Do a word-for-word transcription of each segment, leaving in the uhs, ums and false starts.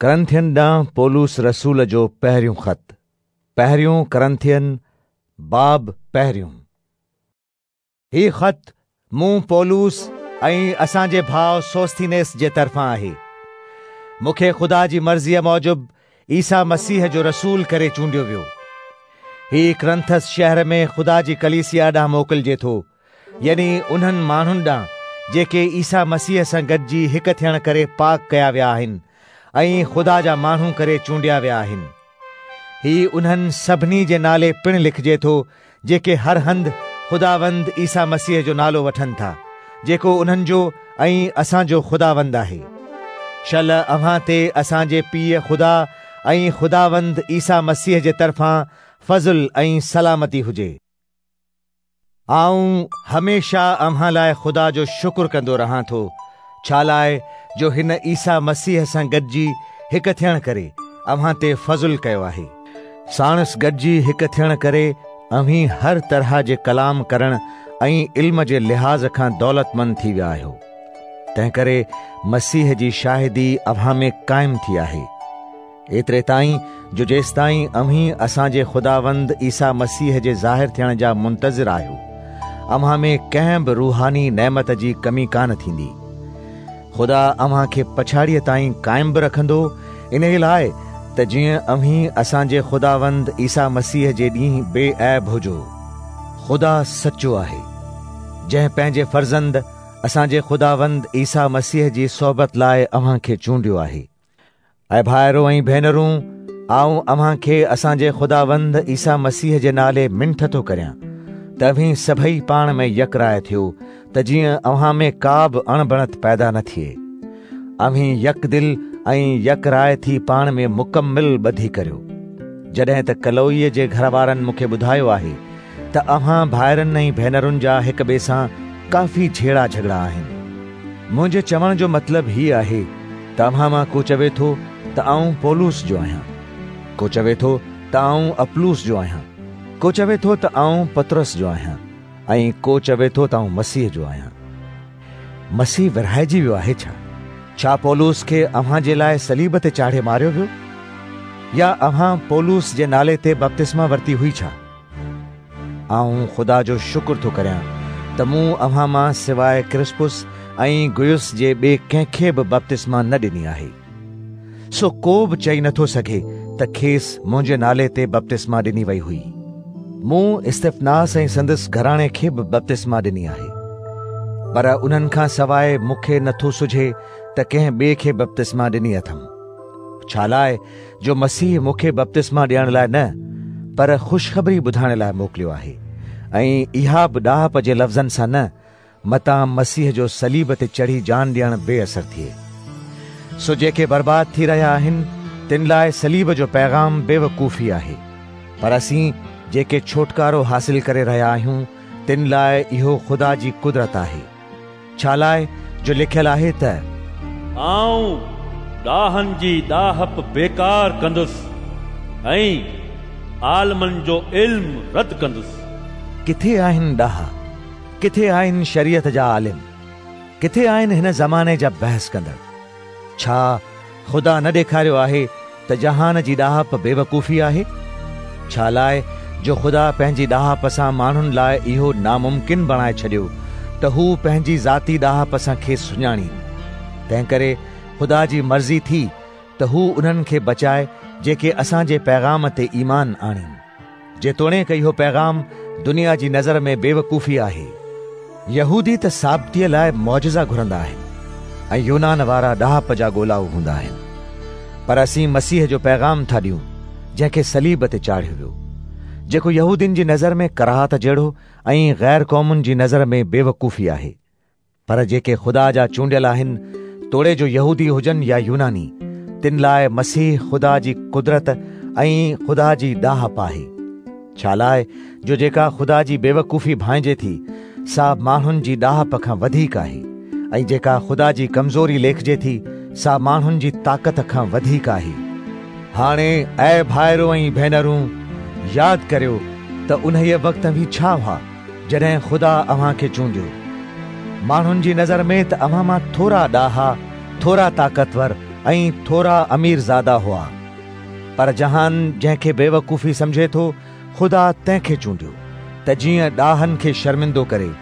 ڪرنٿين ڏانهن پولس رسول جو پهريون خط، پهريون ڪرنٿين، باب پهريون. هي خط مون پولس ۽ اسان جي ڀاء سوسٿينيس جي طرفان آهي. مون کي خدا جي مرضيء موجب عيسيٰ مسيح جو رسول ڪري چونڊيو ويو. هي ڪرنٿس شهر ۾ خدا جي ڪليسيا ڏانهن موڪلجي ٿو، يعني انهن ماڻهن ڏانهن جيڪي عيسيٰ مسيح سان گڏجي هڪ ٿيڻ ڪري پاڪ ڪيا ويا آهن ۽ خدا جا ماڻهو ڪري چونڊيا ويا آهن. هي انهن سڀني جي نالي پڻ لکجي ٿو جيڪي هر هنڌ خداوند عيسيٰ مسيح جو نالو وٺن ٿا، جيڪو انهن جو ۽ اسان جو خداوند آهي. شل اوهان تي اسان جي پيء خدا ۽ خداوند عيسيٰ مسيح جي طرفان فضل ۽ سلامتي هجي. آئون هميشه اوهان لاء خدا جو شڪر ڪندو رهان ٿو، ڇا لاءِ جو هن عيسيٰ مسيح سان گڏجي هڪ ٿيڻ ڪري اوهان تي فضل ڪيو آهي. ساڻس گڏجي هڪ ٿيڻ ڪري اوهين هر طرح جي ڪلام ڪرڻ ۽ علم جي لحاظ کان دولتمند ٿي ويا آهيو. تنهن ڪري مسيح جي شاهدي اوهان ۾ قائم ٿي آهي، ايتري تائين جو جيستائين اوهين اسان جي خداوند عيسيٰ مسيح جي ظاهر ٿيڻ جا منتظر آهيو، اوهان ۾ ڪنهن به روحاني نعمت جي ڪمي ڪانه ٿيندي. خدا اوهان کي پڇاڙيءَ تائين قائم به رکندو، انهيءَ لاءِ ته جيئن اوهين اسان جي خداوند عيسيٰ مسيح جي ڏينهن بي عيب هجو. خدا سچو آهي، جنهن پنهنجي فرزند اسان جي خداوند عيسيٰ مسيح جي صحبت لاءِ اوهان کي چونڊيو آهي. اي ڀائرو ۽ ڀينرون، آئون اوهان کي اسان جي خداوند عيسيٰ مسيح جي نالي منٿ ٿو ڪريان ته اوهين سڀئي پاڻ ۾ يڪراءِ ٿيو، ته جيئن اوهان ۾ ڪا به اڻبڻت پيدا نه ٿئي. اوهين يڪدل ۽ يڪراءِ ٿي پاڻ ۾ مڪمل ٻڌي ڪريو. جڏهن ته ڪلوئيءَ جي گهر وارن مون کي ٻڌايو آهي ته اوهان ڀائرن ۽ ڀينرن جا هڪ ٻئي سان ڪافي جهيڙا جهڳڙا آهن. منهنجي چوڻ جو مطلب هي آهي ته اوهان مان ڪو چوي ٿو ته آئون پولس جو آهيان، ڪو چوي ٿو ته آئون اپلوس جو آهيان، ڪو چوي ٿو ته آئون پطرس جو آهيان، ۽ ڪو چوي ٿو ته آئون مسيح جو آهيان. مسيح ورهائجي ويو آهي ڇا؟ ڇا پولس کي اوهان جي لاءِ صليب تي چاڙهي ماريو ويو؟ يا اوهان پولس جي نالي تي بپتسما ورتي هئي ڇا؟ آئون خدا جو شڪر ٿو ڪريان ته مون اوهان مان سواءِ ڪرسپس ۽ گيوس جي ٻئي ڪنهن کي به بپتسما نه ڏني آهي. سو ڪو به چئي نٿو سگهي ته کيس منهنجي نالي تي بپتسما ڏني وئي هئي. مون استفناس ۽ سندس گهراڻي کي به بپتسما ڏني آهي، پر انهن کان سواءِ مون کي نٿو سجهي ته ڪنهن ٻئي کي بپتسما ڏني اٿم. ڇا لاءِ جو مسيح مون کي بپتسما ڏيڻ لاءِ نه، پر خوشخبري ٻڌائڻ لاءِ موڪليو آهي، ۽ اها به ڏاهپ جي لفظن سان نه، متان مسيح جو صليب تي چڙهي جان ڏيڻ بي اثر ٿئي. سو جيڪي برباد ٿي رهيا آهن تن لاءِ صليب جو پيغام بيوقوفي آهي، پر اسين جيڪي ڇوٽڪارو حاصل ڪري رهيا آهيون تن لاءِ اهو خدا جي قدرت آهي. ڇا لاءِ جو لکيل آهي ته آئون ڏاهن جي ڏاهپ بيڪار ڪندس ۽ عالمن جو علم رد ڪندس. ڪٿي آهن ڏاها؟ ڪٿي آهن شريعت جا عالم؟ ڪٿي آهن هن زماني جا بحث ڪندڙ؟ ڇا خدا نه ڏيکاريو آهي ته جهان جي ڏاهپ بيوقوفي آهي؟ ڇا لاءِ جو خدا پنهنجي ڏاهپ سان ماڻهن لاءِ اهو ناممڪن بڻائي ڇڏيو ته هو پنهنجي ذاتي ڏاهپ سان کيس سڃاڻين. تنهن ڪري خدا جي مرضي ٿي ته هو انهن کي بچائي جيڪي اسان جي پيغام تي ايمان آڻين، جيتوڻيڪ اهو پيغام دنيا جي نظر ۾ بيوقوفي آهي. يهودي ته ثابتيءَ لاءِ معجزا گهرندا آهن ۽ يونان وارا ڏاهپ جا ڳولائو هوندا آهن، پر اسين مسيح جو پيغام ٿا ڏيون جنهن کي صليب تي چاڙهيو ويو، جيڪو يهودين جي نظر ۾ ڪراهت جهڙو ۽ غير قومن جي نظر ۾ بيوقوفي آهي. پر جيڪي خدا جا چونڊيل آهن، توڙي جو يهودي هجن يا يوناني، تن لاءِ مسيح خدا جي قدرت ۽ خدا جي ڏاهپ آهي. ڇا لاءِ جو جيڪا خدا جي بيوقوفي ڀانئجي ٿي سا ماڻهن جي ڏاهپ کان وڌيڪ آهي، ۽ جيڪا خدا جي ڪمزوري ليکجي ٿي سا ماڻهن جي طاقت کان وڌيڪ آهي. هاڻي اي ڀائرو ۽ ڀينرون، ياد ڪريو ته انهيءَ وقت اوهين ڇا هئا جڏهن خدا اوهان کي چونڊيو. ماڻهن جي نظر ۾ ته اوهان مان ٿورا ڏاها، ٿورا طاقتور ۽ ٿورا اميرزادا هئا. پر جهان جنهن کي بيوقوفي سمجهي ٿو، خدا تنهن کي چونڊيو ته جيئن ڏاهن کي شرمندو ڪري،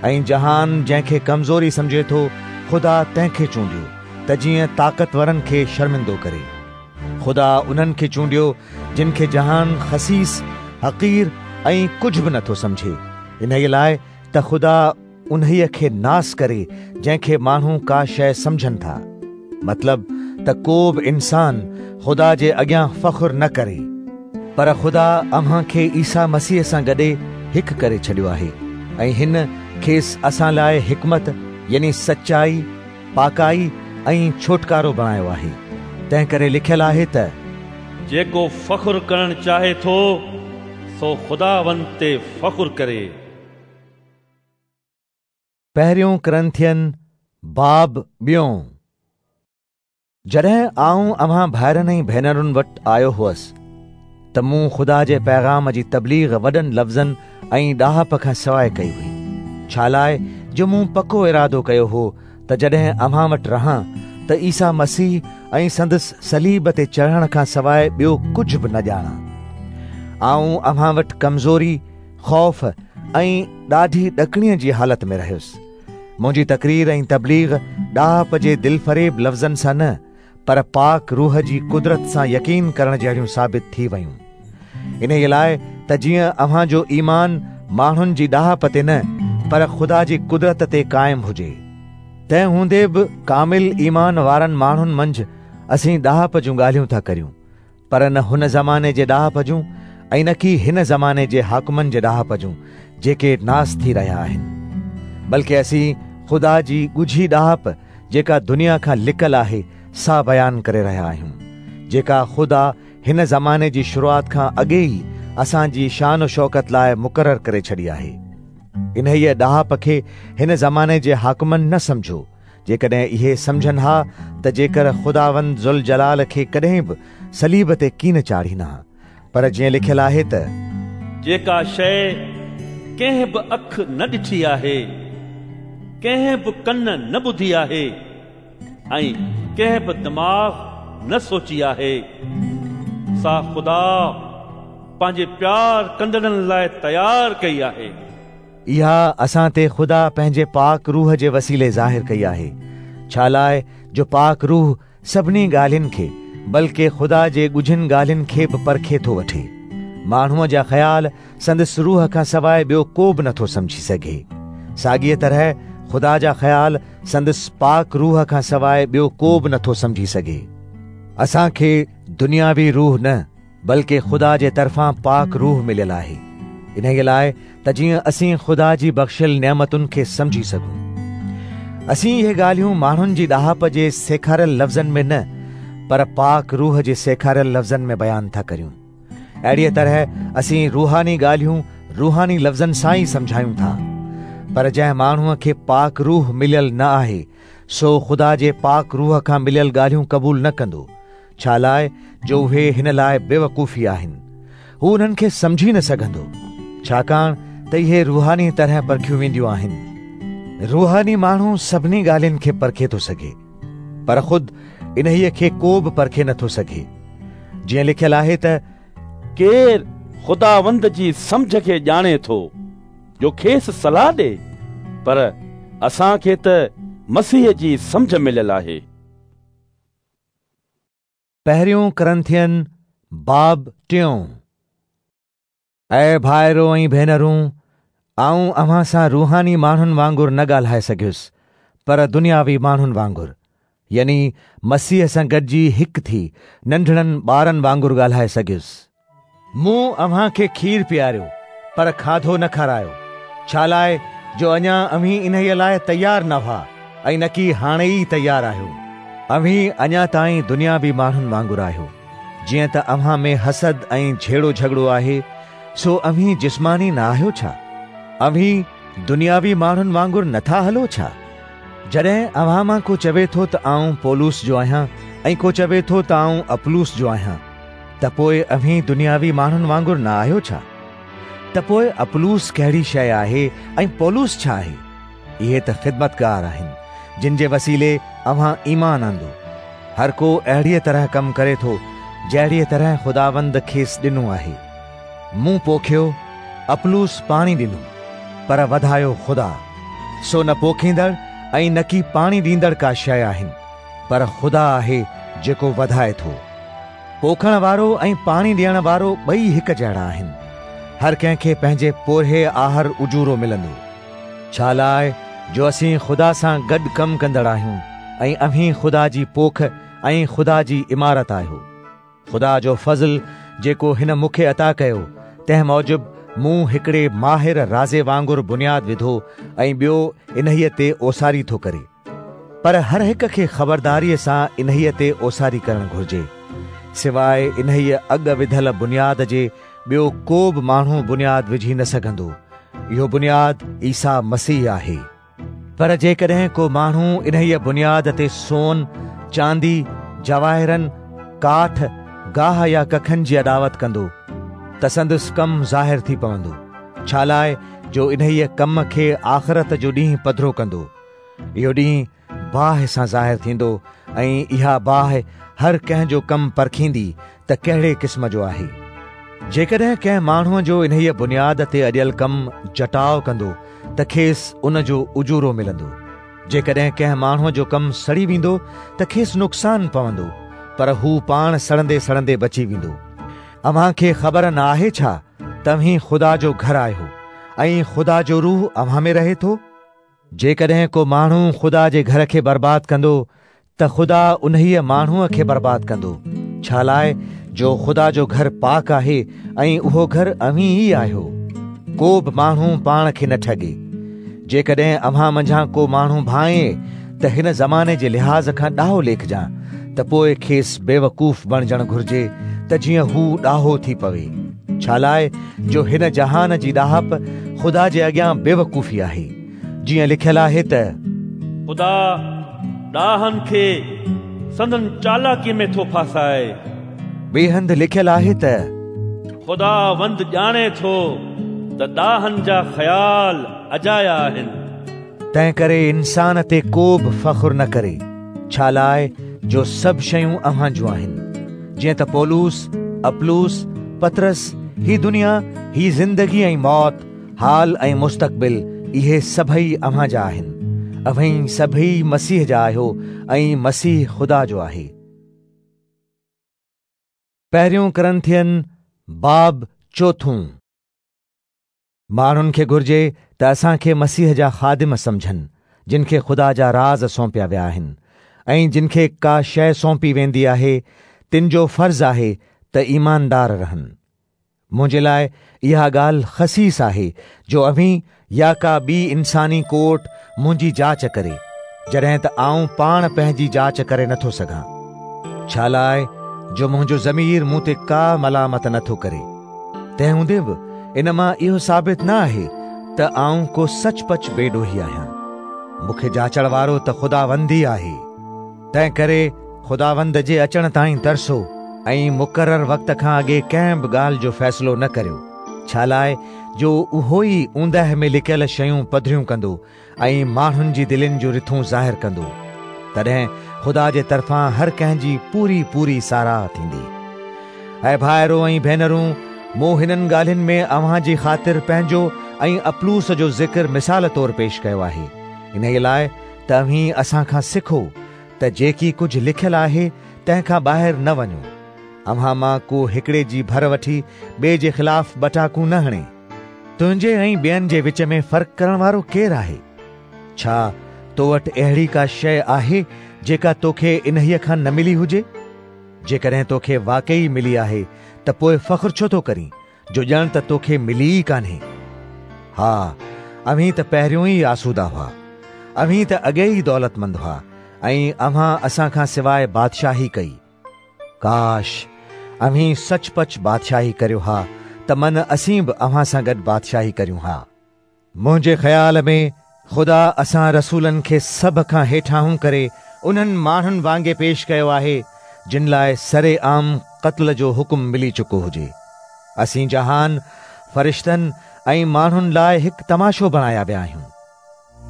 ۽ جهان جنهن کي ڪمزوري سمجهي ٿو، خدا تنهن کي چونڊيو ته جيئن طاقتورن کي شرمندو ڪري. خدا انهن کي چونڊيو جن کي جهان خسيس، حقير ۽ ڪجهه به نٿو سمجهي، انهيء لاء ته خدا انهيء کي ناس ڪري جنهن کي ماڻهو ڪا شيء سمجهن ٿا. مطلب ته ڪو به انسان خدا جي اڳيان فخر نه ڪري. پر خدا اوهان کي عيسيٰ مسيح سان گڏي هڪ ڪري ڇڏيو آهي ۽ هن کيس اسان لاء حڪمت يعني سچائي، پاڪائي ۽ ڇوٽڪارو بڻايو آهي. تنهن ڪري لکيل آهي ته جيڪو فخر ڪرڻ چاهي ٿو سو خداوند تي فخر ڪري. پهريون ڪرنٿين باب ٻيون. جڏهن آئون اوهان ڀائرن ۽ ڀينرن وٽ آيو هئس ته مون خدا جي پيغام جي تبليغ وڏن لفظن ۽ ڏاهپ کان سواءِ ڪئي هئي، ڇا لاءِ جو مون پڪو ارادو ڪيو هو ته جڏهن اوهان وٽ رهان ته عيسيٰ مسيح ۽ سندس صليب تي چڙهڻ کان سواءِ ٻيو ڪجهه به نه ڄاڻان. آئون اوهان وٽ ڪمزوري، خوف ۽ ڏاڍي ڏڪڻيءَ جي حالت ۾ رهيس. منهنجي تقرير ۽ تبليغ ڏاهپ جي دلفريب لفظن سان نه، پر پاڪ روح جي قدرت سان يقين ڪرڻ جهڙيون ثابت ٿي ويون. انهيءَ لاءِ ته جيئن اوهان جو ايمان ماڻهن جي ڏاهپ تي نه، پر خدا جي قدرت تي قائم هجي. تنهن هوندي به ڪامل ايمان وارن ماڻهن منجهه اسين ڏاهپ جون ڳالهيون ٿا ڪريون، پر نه هن زماني جي ڏاهپ جون ۽ نه ڪي هن زماني جي حاڪمن جي ڏاهپ جون جيڪي ناس ٿي رهيا آهن، بلڪه اسين خدا جي ڳجهي ڏاهپ جيڪا دنيا کان لڪل آهي سا بيان ڪري رهيا آهيون، جيڪا خدا هن زماني جي شروعات کان اڳي ئي اسان جي شان و شوڪت لاءِ مقرر ڪري ڇڏي آهي. انهيءَ ڏاهپ کي هن زماني جي حاڪمن نه سمجهو. جيڪڏهن اهي سمجهن ها ته جيڪر خداوند ذوالجلال کي ڪڏهن به صليب تي ڪين چاڙهين ها. پر جيئن لکيل آهي ته جيڪا شيءِ ڪنهن به اک نه ڏٺي آهي، ڪنهن به ڪن نه ٻڌي آهي ۽ ڪنهن به دماغ نه سوچي آهي، سا خدا پنهنجي پيار ڪندڙن لاءِ تيار ڪئي آهي. اها اسان تي خدا پنهنجي پاڪ روح جي وسيلي ظاهر ڪئي آهي، ڇا لاءِ جو پاڪ روح سڀني ڳالهين کي بلڪه خدا جي ڳجهن ڳالهين کي به پرکي ٿو وٺي. ماڻهوءَ جا خيال سندس روح کان سواءِ ٻيو ڪو به نٿو سمجهي سگهي. ساڳيءَ طرح خدا جا خيال سندس پاڪ روح کان سواءِ ٻيو ڪو به نٿو سمجهي سگهي. اسان کي دنياوي روح نه، بلڪه خدا جي طرفان پاڪ روح مليل آهي، انهيءَ لاءِ ته جيئن اسين خدا جي بخشيل نعمتن کي سمجهي سگهون. اسين اهي ڳالهيون ماڻهن جي ڏاهپ جي سيکاريل لفظن ۾ نه، پر پاڪ روح جي سيکاريل لفظن ۾ بيان ٿا ڪريون. اهڙيءَ طرح اسين روحاني ڳالهيون روحاني لفظن سان ئي سمجهايون ٿا. پر جنهن ماڻهوءَ کي پاڪ روح مليل نه آهي، سو خدا جي پاڪ روح کان مليل ڳالهيون قبول نه ڪندو، ڇا لاءِ جو اهي هن لاءِ بيوقوفي آهن. هو انهن کي سمجهي نه سگهندو، ڇاڪاڻ ته اهي روحاني طرح پرکيون وينديون آهن. روحاني ماڻهو سڀني ڳالهين کي پرکي ٿو سگهي، پر خود انهيءَ کي ڪو به پرکي نٿو سگهي. جيئن لکيل آهي ته ڪير خداوند جي سمجهه کي ڄاڻي ٿو جو کيس صلاح ڏي؟ پر اسان کي ته مسيح جي سمجهه مليل آهي. پهريون ڪرنٿين باب ٽيون. اي ڀائرو ۽ ڀينرون، آئون اوهان سان روحاني ماڻهن وانگر نه ڳالهائي سگهيس، پر دنياوي ماڻهن وانگر، يعني مسيح سان گڏجي هڪ ٿي ننڍڙن ٻارن وانگر ڳالهائي سگهيس. مون اوهان کي کير پياريو، پر کاڌو نه کارايو، ڇا لاءِ جو اڃا اوهين انهيءَ لاءِ تيار نه هئا ۽ نه ڪي هاڻي ئي تيار آهيو. اوهين اڃا تائين دنياوي ماڻهن وانگر آهيو. جيئن ته اوهان ۾ حسد ۽ جهيڙو جهڳڙو آهي، سو اوهين جسماني نه آهيو ڇا؟ اوهين دنياوي ماڻهن وانگر نٿا هلو ڇا؟ جڏهن اوهان مان ڪو چوي ٿو ته آئون پولس جو آهيان ۽ ڪو چوي ٿو ته آئون اپلوس جو آهيان، ته پوءِ اوهين دنياوي ماڻهن وانگر نه آهيو ڇا؟ ته پوءِ اپلوس ڪهڙي شيءِ آهي ۽ پولس ڇا آهي؟ اهي ته خدمتگار آهن جن جي وسيلي اوهان ايمان آندو، هر ڪو اهڙيء طرح ڪم ڪري ٿو جهڙيء طرح خداوند کيس ڏنو آهي. مون پوکيو، اپلوس پاڻي ڏنو، پر وڌايو خدا. سو نه پوکيندڙ ۽ نه ڪي پاڻي ڏيندڙ ڪا شيء آهن، پر خدا آهي جيڪو وڌائي ٿو. پوکڻ وارو ۽ پاڻي ڏيڻ وارو ٻئي هڪ جهڙا آهن. هر ڪنهن کي پنهنجي پورهيي آهر اجورو ملندو. ڇا لاءِ جو اسين خدا سان گڏ ڪم ڪندڙ آهيون ۽ اوهين خدا جي پوک ۽ خدا جي عمارت آهيو. خدا جو فضل جيڪو هن مون کي عطا ڪيو، تنهن موجب مون هڪڙي ماهر رازي وانگر بنياد وڌو ۽ ٻيو انهيءَ تي اوساري ٿو ڪري. پر هر هڪ کي خبرداريءَ سان انهيءَ تي اوساري ڪرڻ گهرجي. سواءِ انهيءَ اڳ وڌل بنياد جي ٻيو ڪو به ماڻهو بنياد وجهي نه سگهندو. اهو بنياد عيسيٰ مسيح آهي. پر جيڪڏهن ڪو ماڻهو انهيءَ بنياد تي سون، چاندي، جواهرن، ڪاٺ، گاهه يا ڪکن جي اڏاوت ڪندو ته سندس ڪم ظاهر ٿي پوندو. ڇا لاءِ جو انهيءَ ڪم کي آخرت جو ڏينهن پڌرو ڪندو. اهو ڏينهن باهه سان ظاهر ٿيندو ۽ اها باهه هر ڪنهن جو ڪم پرکيندي ته ڪهڙي قسم جو آهي. جيڪڏهن ڪنهن ماڻهوءَ جو انهيءَ بنياد تي اڏيل ڪم جٽاءُ ڪندو ته کيس ان جو اجورو ملندو. جيڪڏهن ڪنهن ماڻهوءَ جو ڪم سڙي ويندو ته کيس نقصان پوندو، پر هو پاڻ سڙندي سڙندي بچي ويندو. اوهان کي خبر نه آهي ڇا توهين خدا جو گهر آهيو ۽ خدا جو روح اوهان ۾ رهي ٿو؟ جيڪڏهن ڪو ماڻهو خدا جي گهر کي برباد ڪندو ته خدا انهيءَ ماڻهوءَ کي برباد ڪندو. ڇا لاءِ جو خدا جو گهر پاڪ آهي ۽ اهو گهر اوهين ئي آهيو. ڪو به ماڻهو پاڻ کي نه ٺڳي. جيڪڏهن اوهان منجهان ڪو ماڻهو ڀانئي ته هن زماني جي لحاظ کان ڏاهو ليکجان، ته پوءِ کيس بيوقوف بڻجڻ گهرجي ته جيئن هو ڏاهو ٿي پوي. ڇا لاءِ جو هن جهان جي ڏاهپ خدا جي اڳيان بيوقوفي آهي. جيئن لکيل آهي ته خدا ڏاهن کي سندن چالاڪيءَ ۾ ٿو ڦاسائي. ٻئي هنڌ لکيل آهي ته خداوند ڄاڻي ٿو ته ڏاهن جا خيال اجايا آهن. تنهن ڪري انسان تي ڪو به فخر نه ڪري، ڇا لاءِ جو سڀ شيون اوهان جون آهن. جيئن ته پولس، اپلوس، پطرس، هي دنيا، هي زندگي ۽ موت، حال ۽ مستقبل، اهي سڀئي اوهان جا آهن. اوهين سڀئي مسيح جا آهيو ۽ مسيح خدا جو آهي. پهريون ڪرنٿين باب چوٿون. ماڻهن کي گهرجي ته اسان کي مسيح جا خادم سمجهن، جن کي خدا جا راز سونپيا ويا آهن ۽ جن کي ڪا شيءِ سونپي ويندي آهي تن جو فرض آهي ته ايماندار رهن. منهنجي لاءِ اها ڳالهه خسيس آهي جو اوهين يا ڪا ٻي انساني ڪورٽ منهنجي جاچ ڪري، جڏهن ته آئون پاڻ پنهنجي جاچ ڪري نٿو سگهان. ڇا لاءِ جو منهنجو ضمير مون تي ڪا ملامت نٿو ڪري. تنهن هوندي به ان مان اهو ثابت نه آهي ته آئون ڪو سچ پچ بيڏوهي آهيان. مون کي جاچڻ وارو ته خداوند ئي آهي. تنهن ڪري خداوند جي اچڻ تائين ترسو ۽ مقرر وقت کان اڳي ڪنهن به ڳالهه جو فيصلو نه ڪريو. ڇا لاءِ جو اهو ئي اوندهه ۾ لڪيل شيون پڌريون ڪندو ۽ ماڻهن جي دلين جون رٿون ظاهر ڪندو. تڏهن خدا جي طرفان هر ڪنهن جي پوري پوري ساراهه ٿيندي. ۽ ڀائرو ۽ ڀينرون، مون هنن ڳالهين ۾ اوهان جي خاطر پنهنجو ۽ اپلوس جو ذڪر مثال طور پيش ڪيو آهي، انهيءَ لاءِ ته اوهين اسان کان سکو ته جيڪي ڪجهه لکيل آهي تنهن کان ٻاهر نه وڃو. اوهان مان ڪو هڪڙي جي ڀر وٺي ٻئي جي خلاف ٻٽاڪون نه هڻي. تنهنجي ۽ ٻين جي وچ ۾ فرق ڪرڻ وارو ڪير آهي؟ ڇا تو وٽ اهڙي ڪا شيءِ آهي جيڪا توکي انهيءَ کان نه ملي هجي؟ جيڪڏهن توکي واقعي ملي آهي ته پوءِ فخر ڇو ٿو ڪرين جو ڄڻ ته توکي ملي ئي ڪانهي؟ ها، اوهين ته پهريون ئي آسودا هئا، اوهين ته اڳي ئي دولتمند هئا ۽ اوهان اسان کان سواءِ بادشاهي ڪئي. ڪاش اوهين سچ پچ بادشاهي ڪريو ها ته من اسين به اوهان سان گڏ بادشاهي ڪريون ها. منهنجي خيال ۾ خدا اسان رسولن کي سڀ کان هيٺاهون ڪري انهن ماڻهن وانگي پيش ڪيو آهي جن لاءِ سري عام قتل جو حڪم ملي چڪو هجي. اسين جهان، فرشتن ۽ ماڻهن لاءِ هڪ تماشو بڻايا ويا آهيون.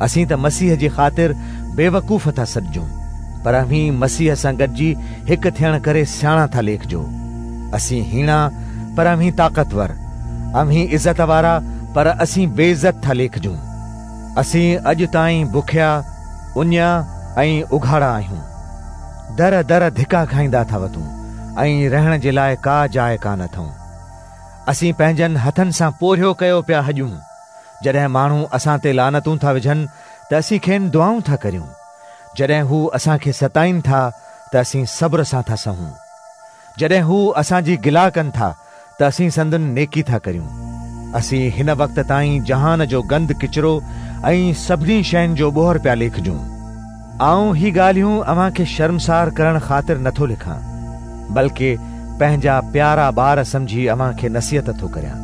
اسين ته مسيح جي خاطر بيوقوف ٿا سڏجون، پر اوهين مسيح سان گڏجي هڪ ٿيڻ ڪري سياڻا ٿا ليکجو. اسين هيڻا پر اوهين طاقتور، اوهين عزت وارا پر اسين بي عزت ٿا ليکجون. اسين اڄ تائين بکيا، اڃيا ۽ اگهاڙا آهيون. در در ڌڪا کائيندا ٿا وتون ۽ رهڻ جي لاءِ ڪا جاءِ ڪانه اٿئون. اسين پنهنجن هٿن سان پورهيو ڪيو پيا هڄون. جڏهن ماڻهو اسان تي لعنتون ٿا وجهن ته اسين کين دعائون ٿا ڪريون. جڏهن هو اسان کي ستائين ٿا ته اسين صبر سان ٿا سهون. جڏهن هو اسان جي گلا ڪن ٿا ته اسين سندن نيڪي ٿا ڪريون. اسين هن وقت تائين جهان جو گند ڪچرو ۽ سڀني شين جو ٻوهر پيا ليکجون. آئون هي ڳالهيون اوهان کي شرمسار ڪرڻ خاطر نٿو لکان، بلڪه پنهنجا پيارا ٻار سمجهي اوهان کي نصيحت ٿو ڪريان.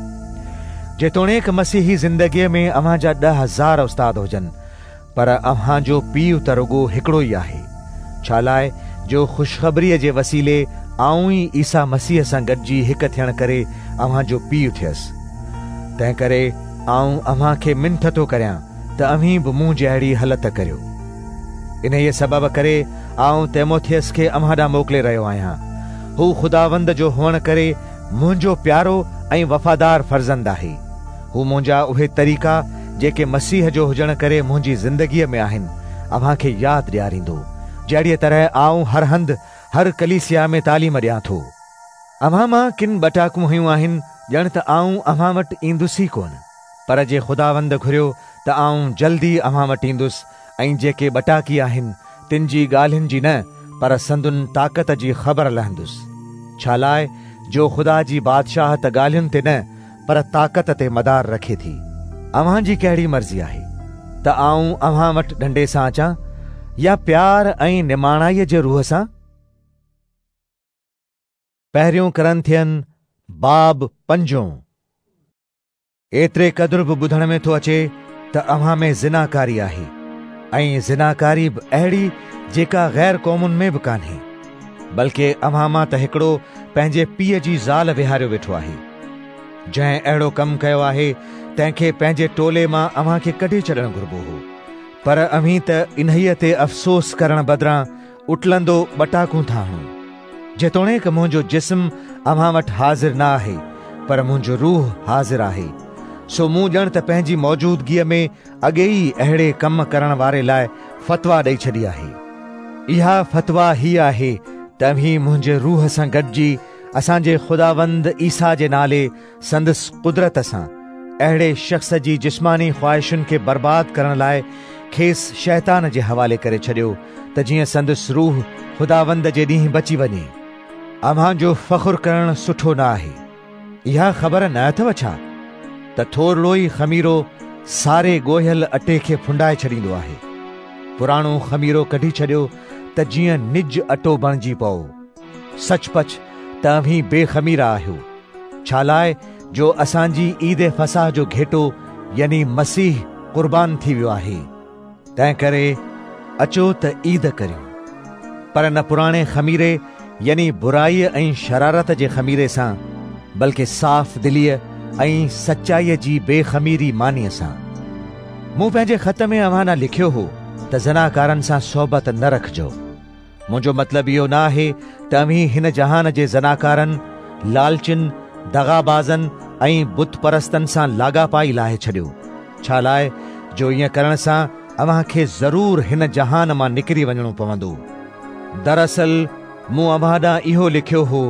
جيتوڻيڪ مسيحي زندگيءَ ۾ اوهان جا ڏهه هزار استاد هجن، پر اوهان جو پيءُ ته رڳو هڪڙو ئي آهي. ڇا لاءِ جو خوشخبريءَ جي وسيلي آئون ئي عيسيٰ مسيح سان گڏجي هڪ ٿيڻ ڪري اوهان جو پيءُ ٿيس. تنهن ڪري آئون اوهان کي منٿ ٿو ڪريان ته اوهين به مون جهڙي هلت ڪريو. انهيءَ سبب ڪري آئون تيموٿيس کي اوهان ڏانهن موڪلي رهيو آهيان. هو خداوند جو هئڻ ڪري منهنجو پيارو ۽ وفادار فرزند آهي. هو منهنجا اهي طريقا جيڪي مسيح جو هجڻ ڪري منهنجي زندگيءَ ۾ آهن اوهان کي ياد ڏياريندو، جهڙيءَ طرح آئون هر هنڌ هر ڪليسيا ۾ تعليم ڏيان ٿو. اوهان مان ڪن ٻٽاڪون هيون آهن، ڄڻ ته آئون اوهان وٽ ايندس ئي ڪونه، پر جي خداوند گهريو ته آئون جلدي اوهان وٽ ايندس ۽ جيڪي ٻٽاڪي آهن تن جي ڳالهين جي نه پر سندن طاقت جي خبر لهندس. ڇا لاءِ جو خدا جي بادشاهت ڳالهين تي نه پر طاقت تي مدار رکي ٿي. اوهان جي ڪهڙي مرضي آهي ته آئون اوهان وٽ ڏنڊي سان اچان يا پيار ۽ نماڻائيءَ جي روح سان؟ پهريون ڪرنٿين باب پنجون. ايتري قدر به ٻڌڻ ۾ ٿو اچي ته اوهان ۾ زناڪاري آهي، ۽ زناڪاري به اهڙي جيڪا غير قومن ۾ به ڪانهي، بلڪه اوهان مان ته هڪڙو پنهنجي پيءُ جي زال ويهاريو ويٺو آهي. جنهن اهڙو ڪم ڪيو آهي تنهن کي پنهنجي ٽولي مان اوهان کي ڪڍي ڇڏڻ گهربو هو، پر اوهين ته انهيءَ تي افسوس ڪرڻ بدران اٽلندو ٻٽاڪون ٿا هڻو. جيتوڻيڪ منهنجو جسم اوهان وٽ حاضر نه آهي، پر منهنجو روح حاضر آهي. سو مون ڄڻ ته پنهنجي موجودگيءَ ۾ اڳي ئي اهڙي ڪم ڪرڻ واري لاءِ فتويٰ ڏيئي ڇڏي آهي. اها فتويٰ هيءَ آهي ته اوهين منهنجي روح سان گڏجي اسان جي خداوند عيسيٰ جي نالي سندس قدرت سان اهڙي شخص جي جسماني خواهشن کي برباد ڪرڻ لاءِ کيس شيطان جي حوالي ڪري ڇڏيو ته جيئن سندس روح خداوند جي ڏينهن بچي وڃي. اوهان جو فخر ڪرڻ سٺو نه آهي. اها خبر نه اٿو ڇا ته ٿورڙو ئي خميرو ساري ڳوهيل اٽي کي ڦنڊائي ڇڏيندو آهي؟ پراڻو خميرو ڪڍي ڇڏيو ته جيئن نج اٽو بڻجي پئو. سچ پچ ته اوهين بي خميرا آهيو، ڇا لاءِ جو اسان جي عيد فسح جو گهيٽو يعني مسيح قربان ٿي ويو آهي. تنهن ڪري اچو ته عيد ڪريون، پر نه پراڻي خميري يعني برائيءَ ۽ شرارت جي خميري سان، بلڪه صاف دليءَ ۽ سچائيءَ جي بيخميري مانيءَ سان. مون پنهنجي خط ۾ اوهان ڏانهن لکيو هو ته زناڪارن سان صحبت نه رکجو. منهنجو مطلب اهو نه آهي ته اوهين هن جهان جي زناڪارن، لالچن، دغابازن ۽ بت پرستن سان لاڳاپا ئي لاهي ڇڏيو، ڇا لاءِ جو ائين ڪرڻ سان اوهان کي ضرور هن جهان مان نڪري وڃڻو پوندو. دراصل مون اوهان ڏانهن اهو لکيو هو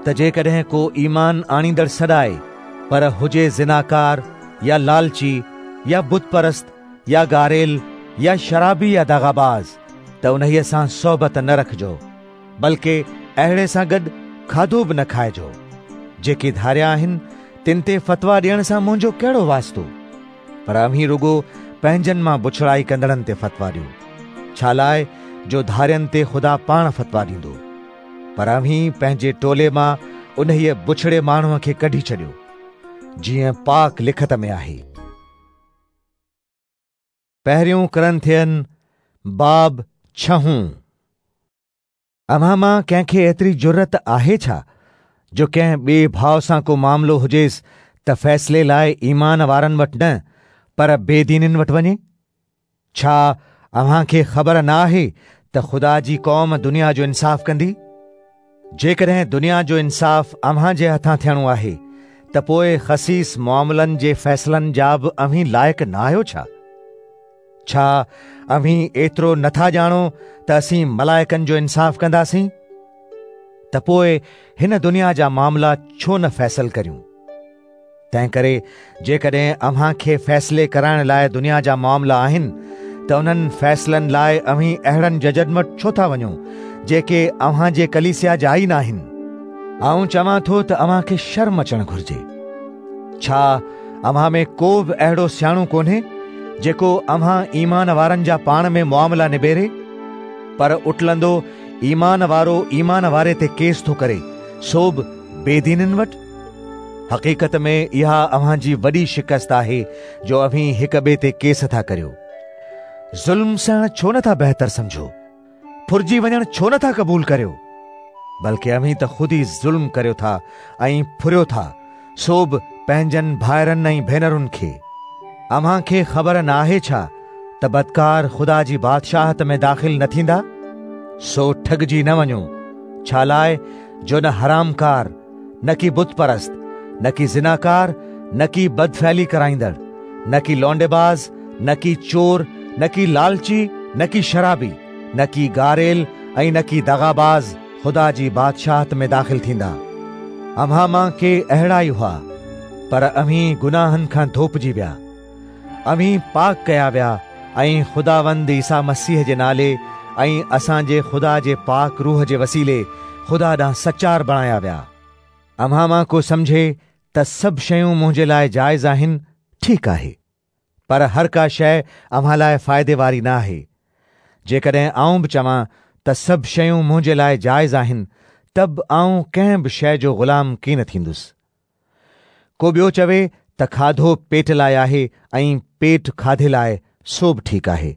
ته جيڪڏهن ڪو ايمان آڻيندڙ سڏائي پر هجي زناڪار يا لالچي يا بت پرست يا گاريل يا شرابي يا دغاباز ته انهيءَ سان صحبت نه رکجو، بلڪه اهڙي سان گڏ کاڌو به نه کائجو. جيڪي ڌاريا آهن تن تي فتويٰ ڏيڻ سان منهنجو ڪهڙو واسطو؟ پر اوهين رڳو پنهنجن مان بڇڙائي ڪندڙن تي فتويٰ ڏيو، ڇا لاءِ جو ڌارين تي خدا پاڻ فتويٰ ڏيندو. پر اوهين پنهنجي ٽولي مان انهيءَ بڇڙي ماڻهوءَ کي ڪڍي ڇڏيو، جيئن پاڪ لکت ۾ آهي. پهريون ڪرنٿين باب ڇهون. اوهان مان ڪنهن کي ايتري جرئت آهي ڇا جو ڪنهن ٻئي ڀاءُ سان ڪو معاملو هجيس ته فيصلي لاءِ ايمان وارن وٽ نه پر بيدينن وٽ وڃي؟ ڇا اوهان کي خبر نه آهي ته ته خدا جي قوم دنيا جو انصاف ڪندي؟ جيڪڏهن دنيا جو انصاف اوهان جي هٿان ٿيڻو آهي ته پوءِ خسيس معاملن جي فيصلن جا به اوهين لائق نه آهيو ڇا؟ ڇا اوهين ايترو نٿا ڄاڻو ته اسين ملائڪن جو انصاف ڪنداسين؟ ته پوءِ هن دنيا جا معاملا ڇو نه فيصل ڪريون؟ تنهن ڪري جيڪڏهن اوهان کي فيصلي ڪرائڻ لاءِ دنيا جا معاملا آهن ته انهن فيصلن لاءِ اوهين اهڙن ججن وٽ ڇو ٿا وڃو جيڪي اوهان جي ڪليسيا جا ئي نه آهن؟ آئون چوان ٿو ته اوهان کي شرم اچڻ گهرجي. ڇا اوهان ۾ ڪو به اهڙو سياڻو ڪونهي جيڪو اوهان ايمان وارن جا پاڻ ۾ معاملا نبيري؟ پر اٽلندو ايمان وارو ايمان واري تي ڪيس ٿو ڪري، سو به بيدينن وٽ. حقيقت ۾ اها اوهان جي وڏي شڪست آهي جو اوهين هڪ ٻئي تي ڪيس ٿا ڪريو. ظلم سهڻ ڇو نٿا بهتر سمجهو؟ ڦرجي وڃڻ ڇو نٿا قبول ڪريو؟ بلڪه اوهين ته خود ئي ظلم ڪريو ٿا ۽ ڦريو ٿا، سو به پنهنجن ڀائرن ۽ ڀينرن کي. اوهان کي خبر نه آهي ڇا ته بدڪار خدا جي بادشاهت ۾ داخل نه ٿيندا؟ سو ٺڳجي نه وڃو، ڇا لاءِ جو نه حرامڪار، نه ڪي بت پرست، نه ڪي زناڪار، نه ڪي بدفعلي ڪرائيندڙ، نه ڪي لونڊيباز، نه ڪي چور، نه ڪي لالچي، نه ڪي شرابي، نه ڪي گاريل ۽ نه ڪي دغاباز خدا جي بادشاهت ۾ داخل ٿيندا. اوهان مان ڪي اهڙا ئي هئا، پر اوهين گناهن کان ڌوپجي ويا، اوهين پاڪ ڪيا ويا ۽ خداوند عيسيٰ مسيح جي نالي ۽ اسان جي خدا جي پاڪ روح جي وسيلي خدا ڏانهن سچار بڻايا ويا. اوهان مان ڪو سمجهي ته سڀ شيون منهنجي لاءِ جائز آهن، ٺيڪ آهي، پر هر ڪا شيءِ اوهان لاءِ فائدي واري نه آهي. جيڪڏهن آئون به چوان ته سڀ شيون منهنجي لاءِ جائز آهن، ته به آئون ڪنهن به شيءِ جو غلام ڪين ٿيندس. ڪو ٻيو چوي ته کاڌو پيٽ لاءِ آهي ۽ پيٽ کاڌي لاءِ، سو به ٺيڪ آهي،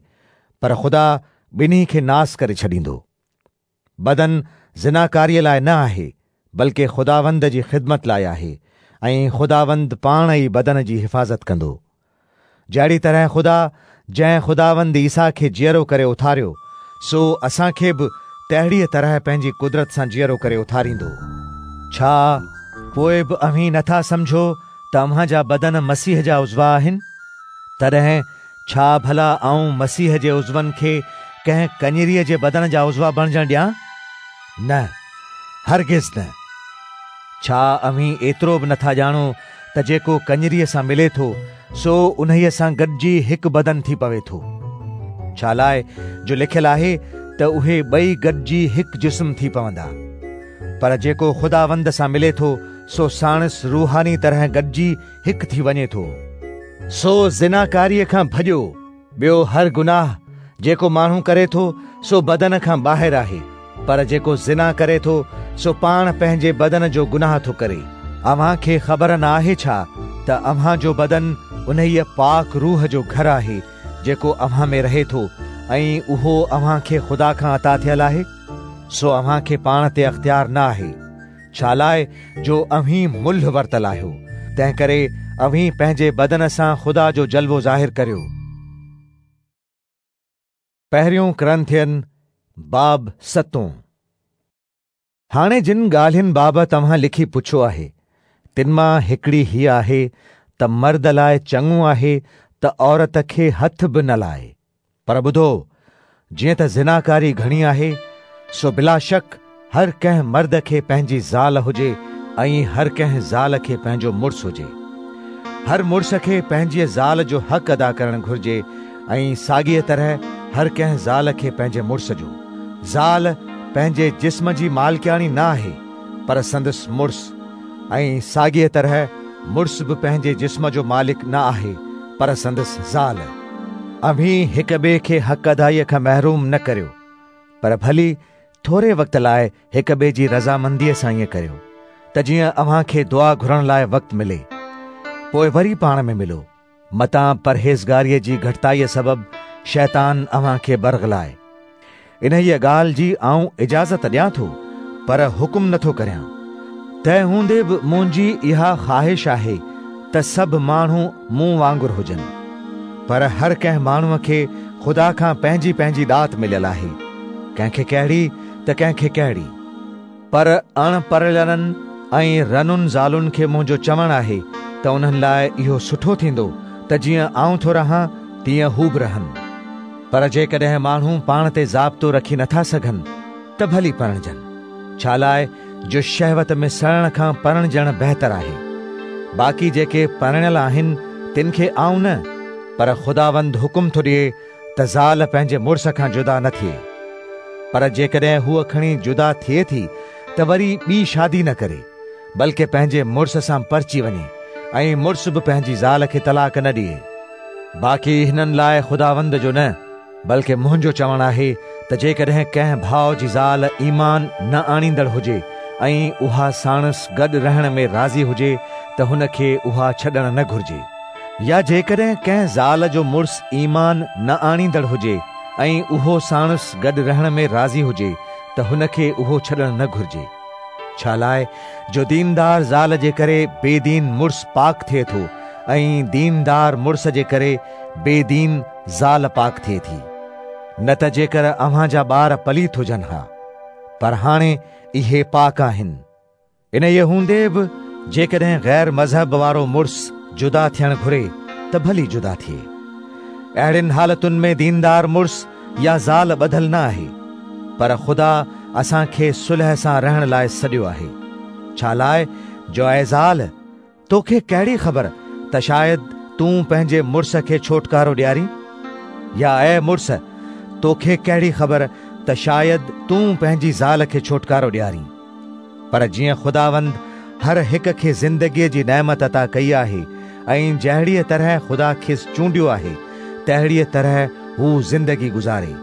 پر خدا ٻنهي کي ناس ڪري ڇڏيندو. بدن زناڪاريءَ لاءِ نه آهي، بلڪه خداوند جي خدمت لاءِ آهي ۽ خداوند پاڻ ئي بدن جي حفاظت ڪندو. جهڙي طرح خدا جنهن خداوند عيسيٰ کي جيئرو ڪري اٿاريو، سو اسان کي به تهڙيءَ طرح پنهنجي قدرت سان جيئرو ڪري اٿاريندو. ڇا پوءِ به اوهين نٿا سمجهو ته اوهان جا بدن مسيح جا عضوا آهن؟ تڏهن ڇا ڀلا آئون مسيح جي عضون کي ڪنهن ڪڃريءَ جي بدن جا عضوا بڻجڻ ڏيان؟ نه، هرگز نه. ڇا اوهين ايترو به نٿا ڄاڻو ته جيڪو ڪڃريءَ سان ملي ٿو سو انهيءَ سان گڏجي هڪ بدن ٿي پوي ٿو؟ ڇا لاءِ جو لکيل آهي ته اهي ٻئي گڏجي هڪ جسم ٿي پوندا. پر جيڪو خداوند سان ملي ٿو سو ساڻس روحاني طرح گڏجي هڪ ٿي وڃي ٿو. سو زناڪاريءَ کان ڀڄو. ٻيو هر گناهه جيڪو ماڻهو ڪري ٿو سو بدن کان ٻاهر آهي، پر جيڪو زنا ڪري ٿو سو پاڻ پنهنجي بدن جو گناهه ٿو ڪري. اوهان کي خبر نه آهي ڇا ته اوهان جو بدن انهيءَ پاڪ روح جو گهر آهي جيڪو اوهان ۾ رهي ٿو ۽ اهو اوهان کي خدا کان عطا ٿيل آهي؟ سو اوهان کي پاڻ تي اختيار نه آهي، ڇا لاءِ جو اوهين ملهه ورتل آهيو. تنهن ڪري اوهين پنهنجي بدن سان خدا جو جلوو ظاهر ڪريو. پهريون ڪرنٿين باب ستون. هاڻي جن ڳالهين بابت اوهان لکي پڇيو آهي، تن مان هڪڙي هيءَ آهي ته مرد لاءِ چڱو آهي ته عورت کي هٿ به نه لائي. پر ٻڌو، جيئن ته زناڪاري گهڻي آهي، سو بلاشڪ هر ڪنهن مرد کي پنهنجي زال هجي ۽ هر ڪنهن زال کي پنهنجو مڙس هجي. هر مڙس کي پنهنجي زال جو حق ادا ڪرڻ گهرجي ۽ ساڳيءَ طرح هر ڪنهن زال کي پنهنجي مڙس جو. زال پنهنجي جسم جي مالڪياڻي نه آهي، پر سندس مڙس، ۽ ساڳيءَ طرح مڙس به پنهنجي جسم جو مالڪ نه آهي، پر سندس زال. اوهين هڪ ٻئي کي حق ادائيءَ کان محروم نه ڪريو، پر ڀلي ٿوري وقت لاءِ هڪ ٻئي جي رضامنديءَ سان ائين ڪريو، ته جيئن اوهان کي دعا گهرڻ لاءِ وقت ملي. پوءِ وري پاڻ ۾ ملو، متان پرهيزگاريءَ جي گهٽتائيءَ سبب شيطان اوهان کي برغلائي. انهيءَ ڳالهه جي آئون اجازت ڏيان ٿو، پر حڪم نٿو ڪريان. تنهن هوندي به منهنجي اها خواهش آهي ته سڀ ماڻهو مون وانگر هجن، پر هر ڪنهن ماڻهوءَ کي خدا کان پنهنجي پنهنجي ڏات مليل آهي. ڪنهن کي ڪهڙي ته ڪنهن کي ڪهڙي. پر اڻ پرڻيلن ۽ رنن زالن کي منهنجو چوڻ آهي ته انهن لاءِ اهو سٺو ٿيندو ته جيئن آئون ٿو رهان تيئن هو به رهن. پر جيڪڏهن ماڻهو پاڻ تي ضابطو رکي نٿا سگهن ته ڀلي پرڻجن، ڇا لاءِ جو شهوت ۾ سڙڻ کان پرڻجڻ بهتر آهي. باقي جيڪي پرڻيل آهن تن کي آئون نه پر خداوند حڪم ٿو ڏئي ته زال پنهنجي مڙس کان جدا نه ٿئي. پر جيڪڏهن هوءَ کڻي جدا ٿئي ٿي ته وري ٻي شادي نه ڪري، بلڪه پنهنجي مڙس سان پرچي وڃي ۽ مڙس به پنهنجي زال کي طلاق نه ڏئي. باقي هنن لاءِ خداوند جو نه بلڪه منهنجو چوڻ آهي ته جيڪڏهن ڪنهن ڀاءُ جي زال ايمان نه آڻيندڙ هجي ۽ اها ساڻس گڏ رهڻ ۾ راضي هجي ته هن کي اها ڇڏڻ نه گهرجي. يا جيڪڏهن ڪنهن زال جو مڙس ايمان نه آڻيندڙ هجي ۽ اهو ساڻس گڏ رهڻ ۾ راضي هجي ته هن کي اهو ڇڏڻ نه گهرجي. ڇا لاءِ جو ديندار زال جي ڪري بيدين مڙس پاڪ ٿئي ٿو ۽ ديندار مڙس جي ڪري بيدين زال پاڪ ٿئي ٿي. نه ته جيڪر اوهان جا ٻار پليت هجن ها، پر هاڻي اهي پاڪ آهن. ان ئي هوندي به جيڪڏهن غير مذهب وارو مڙس جدا ٿيڻ گهري ته ڀلي جدا ٿئي. اهڙين حالتن ۾ ديندار مڙس يا زال ٻڌل نه آهي، پر خدا اسان کي صلح سان رهڻ لاءِ سڏيو آهي. ڇا لاءِ جو اي زال، توکي ڪهڙي خبر ته شايد تون پنهنجي مڙس کي ڇوٽڪارو ڏيارين؟ يا اي مڙس، توکي ڪهڙي خبر ته شايد تون پنهنجي زال کي ڇوٽڪارو ڏيارين؟ پر جيئن خداوند هر هڪ کي زندگيءَ جي نعمت عطا ڪئي آهي ۽ جهڙيءَ طرح خدا کيس چونڊيو آهي تهڙيءَ طرح هو زندگي گذاري.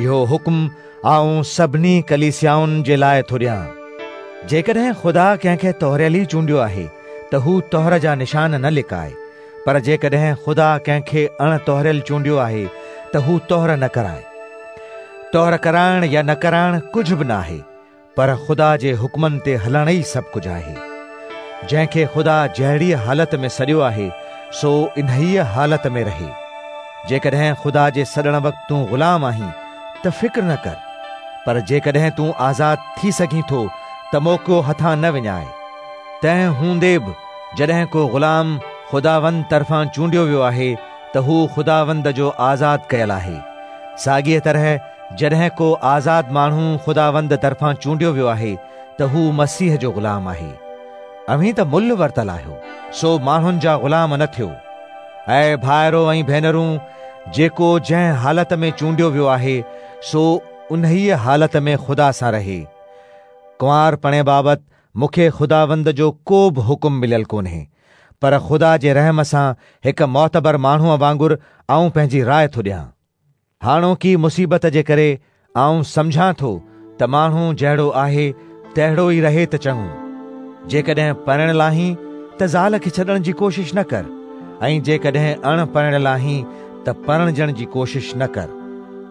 اهو حڪم آئون سڀني ڪليسيائن جي لاءِ ٿو ڏيان. جيڪڏهن خدا ڪنهن کي طهريل ئي چونڊيو آهي ته هو طهر جا نشان نه لڪائي، پر جيڪڏهن خدا ڪنهن کي اڻ طهريل چونڊيو آهي ته هو طهر نه ڪرائي. طهر ڪرائڻ يا نه ڪرائڻ ڪجهه به نه آهي، پر خدا جي حڪمن تي هلڻ ئي سڀ ڪجهه آهي. جنهن کي خدا جهڙيءَ حالت ۾ سڏيو آهي سو انهيءَ حالت ۾ رهي. جيڪڏهن خدا جي سڏڻ وقت تون غلام آهين ته فڪر نه ڪر، پر جيڪڏهن تون آزاد ٿي سگهين ٿو ته موقعو هٿان نه وڃائي. تنهن هوندي به جڏهن ڪو غلام خداوند طرفان چونڊيو ويو آهي ته هو خداوند جو آزاد ڪيل آهي. ساڳيءَ طرح جڏهن ڪو آزاد ماڻهو خداوند طرفان چونڊيو ويو آهي ته هو مسيح جو غلام آهي. اوهين ته ملهه ورتل آهيو، سو ماڻهن جا غلام نه ٿيو. اي ڀائرو ۽ ڀينرون، جيڪو جنهن حالت ۾ چونڊيو ويو آهي سو انهيءَ حالت ۾ خدا سان رهي. ڪنوارپڻي بابت مون کي خداوند جو ڪو به حڪم مليل ڪونهي، پر خدا جي رحم سان هڪ معتبر ماڻهوءَ وانگر آئون پنهنجي راءِ ٿو ڏيان. هاڻوڪي مصيبت جي ڪري آئون سمجهان ٿو ته ماڻهو جهڙو آهي تهڙو ئي رهي ته چڱو. جيڪڏهن پرڻيل آهين ته زال کي ڇڏڻ جي ڪوشش نه ڪر، ۽ جيڪڏهن اڻ پرڻيل آهين ته پرڻجڻ جي ڪوشش نه ڪر.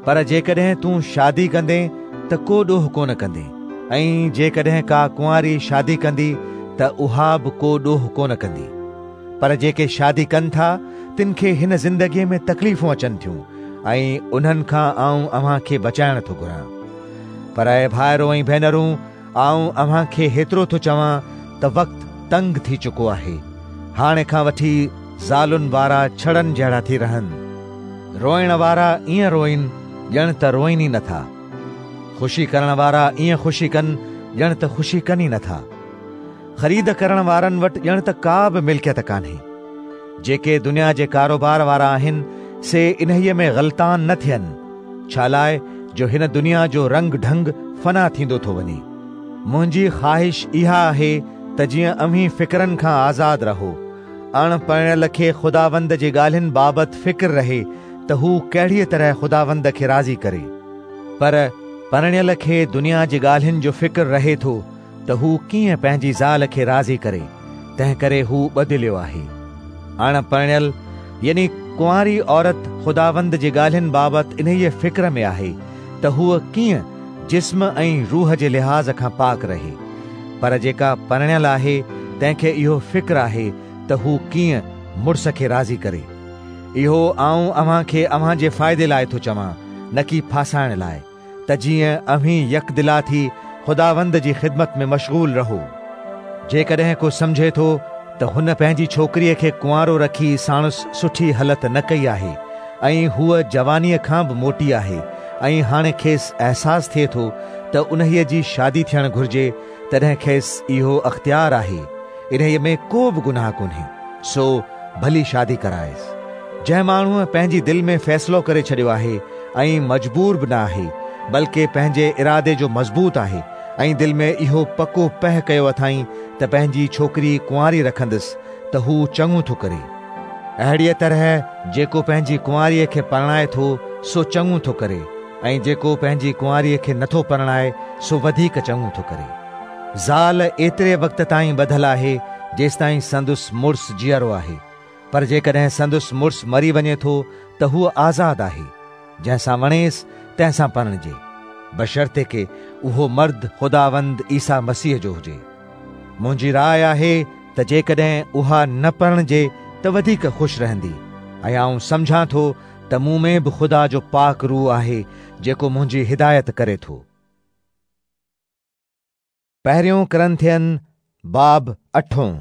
پر جيڪڏهن تون شادي ڪندين ته ڪو ڏوهه ڪونه ڪندين، ۽ جيڪڏهن ڪا ڪنواري شادي ڪندي ته اها به ڪو ڏوهه ڪونه ڪندي. پر جيڪي شادي ڪن ٿا تن کي هن زندگيءَ ۾ تڪليفون اچن ٿيون، ۽ انهن کان آئون اوهان کي بچائڻ ٿو گهران. پر اي ڀائرو ۽ ڀينرون، آئون اوهان کي هيترو ٿو چوان ته وقت تنگ ٿي چڪو آهي. هاڻي کان وٺي زالن وارا ڇڙن جهڙا ٿي رهن، روئڻ وارا ائين روئن ڄڻ ته روئن ئي نٿا، خوشي ڪرڻ وارا ائين خوشي ڪن ڄڻ ته خوشي ڪن ئي نٿا، خريد ڪرڻ وارن وٽ ڄڻ ته ڪا به ملڪيت ڪانهي. جيڪي دنيا جي ڪاروبار وارا آهن سي انهيءَ ۾ غلطان نه ٿين، ڇا لاءِ جو هن دنيا جو رنگ ڍنگ فنا ٿيندو ٿو وڃي. منهنجي خواهش اها آهي ته جيئن اوهين فڪرن کان آزاد رهو. اڻ پرڻيل کي خداوند جي ڳالهين بابت فڪر رهي ته هو ڪهڙيءَ طرح خداوند کي راضي ڪري، پر پرڻيل کي دنيا جي ڳالهين جو فڪر رهي ٿو ته هو ڪيئن پنهنجي زال کي راضي ڪري، تنهن ڪري هو بدليو آهي. اڻ پرڻيل يعني ڪنواري عورت خداوند جي ڳالهين بابت انهيءَ فڪر ۾ آهي ته هوءَ ڪيئن جسم ۽ روح جي لحاظ کان پاڪ رهي، پر جيڪا پرڻيل آهي تنهن کي اهو فڪر آهي ته هو ڪيئن مڙس کي راضي ڪري. اهو آئون اوهان کي اوهان جي فائدي لاءِ ٿو چوان، نه ڪي ڦاسائڻ لاءِ، ته ته جيئن اوهين يڪدلا ٿي خداوند جي خدمت ۾ مشغول رهو. جيڪڏهن ڪو سمجهي ٿو ته هن پنهنجي ڇوڪريءَ کي ڪنوارو رکي ساڻس سٺي هلت نه ڪئي آهي ۽ هوءَ جوانيءَ کان به موٽي آهي ۽ هاڻي کيس احساس ٿئي ٿو ته انهيءَ جي شادي ٿيڻ گهرجي، تڏهن کيس اهو اختيار آهي. انهيءَ ۾ ڪو به گناهه ڪونهي، سو ڀلي شادي ڪرائيس. جنهن ماڻهوءَ پنهنجي دل ۾ فيصلو ڪري ڇڏيو آهي ۽ مجبور به نه آهي، بلڪه پنهنجي ارادي جو مضبوط آهي ۽ دل ۾ اهو پڪو پهه ڪيو اٿائين ته پنهنجي ڇوڪري ڪنواري رکندس، ته هو چڱو ٿو ڪري. اهڙيءَ طرح جيڪو پنهنجي ڪنواريءَ کي پرڻائي ٿو سو چڱو ٿو ڪري، ۽ جيڪو پنهنجي ڪنواريءَ کي نٿو پرڻائي سو وڌيڪ چڱو ٿو ڪري. زال ايتري وقت تائين ٻڌل آهي جيستائين سندس مڙس جيئرو آهي، پر جيڪڏهن سندس مڙس مري وڃي ٿو ته هوءَ آزاد آهي، جنهن سان وڻيس تنهن سان پرڻجي، بشرطيڪ اهو مرد خداوند عيسيٰ مسيح جو هجي. منهنجي راءِ آهي ته جيڪڏهن اها نه پرڻجي ته وڌيڪ خوش رهندي، ۽ آئون سمجهان ٿو ته مون ۾ به خدا جو پاڪ روح آهي جيڪو منهنجي هدايت ڪري ٿو. پهريون ڪرنٿين باب اٺون.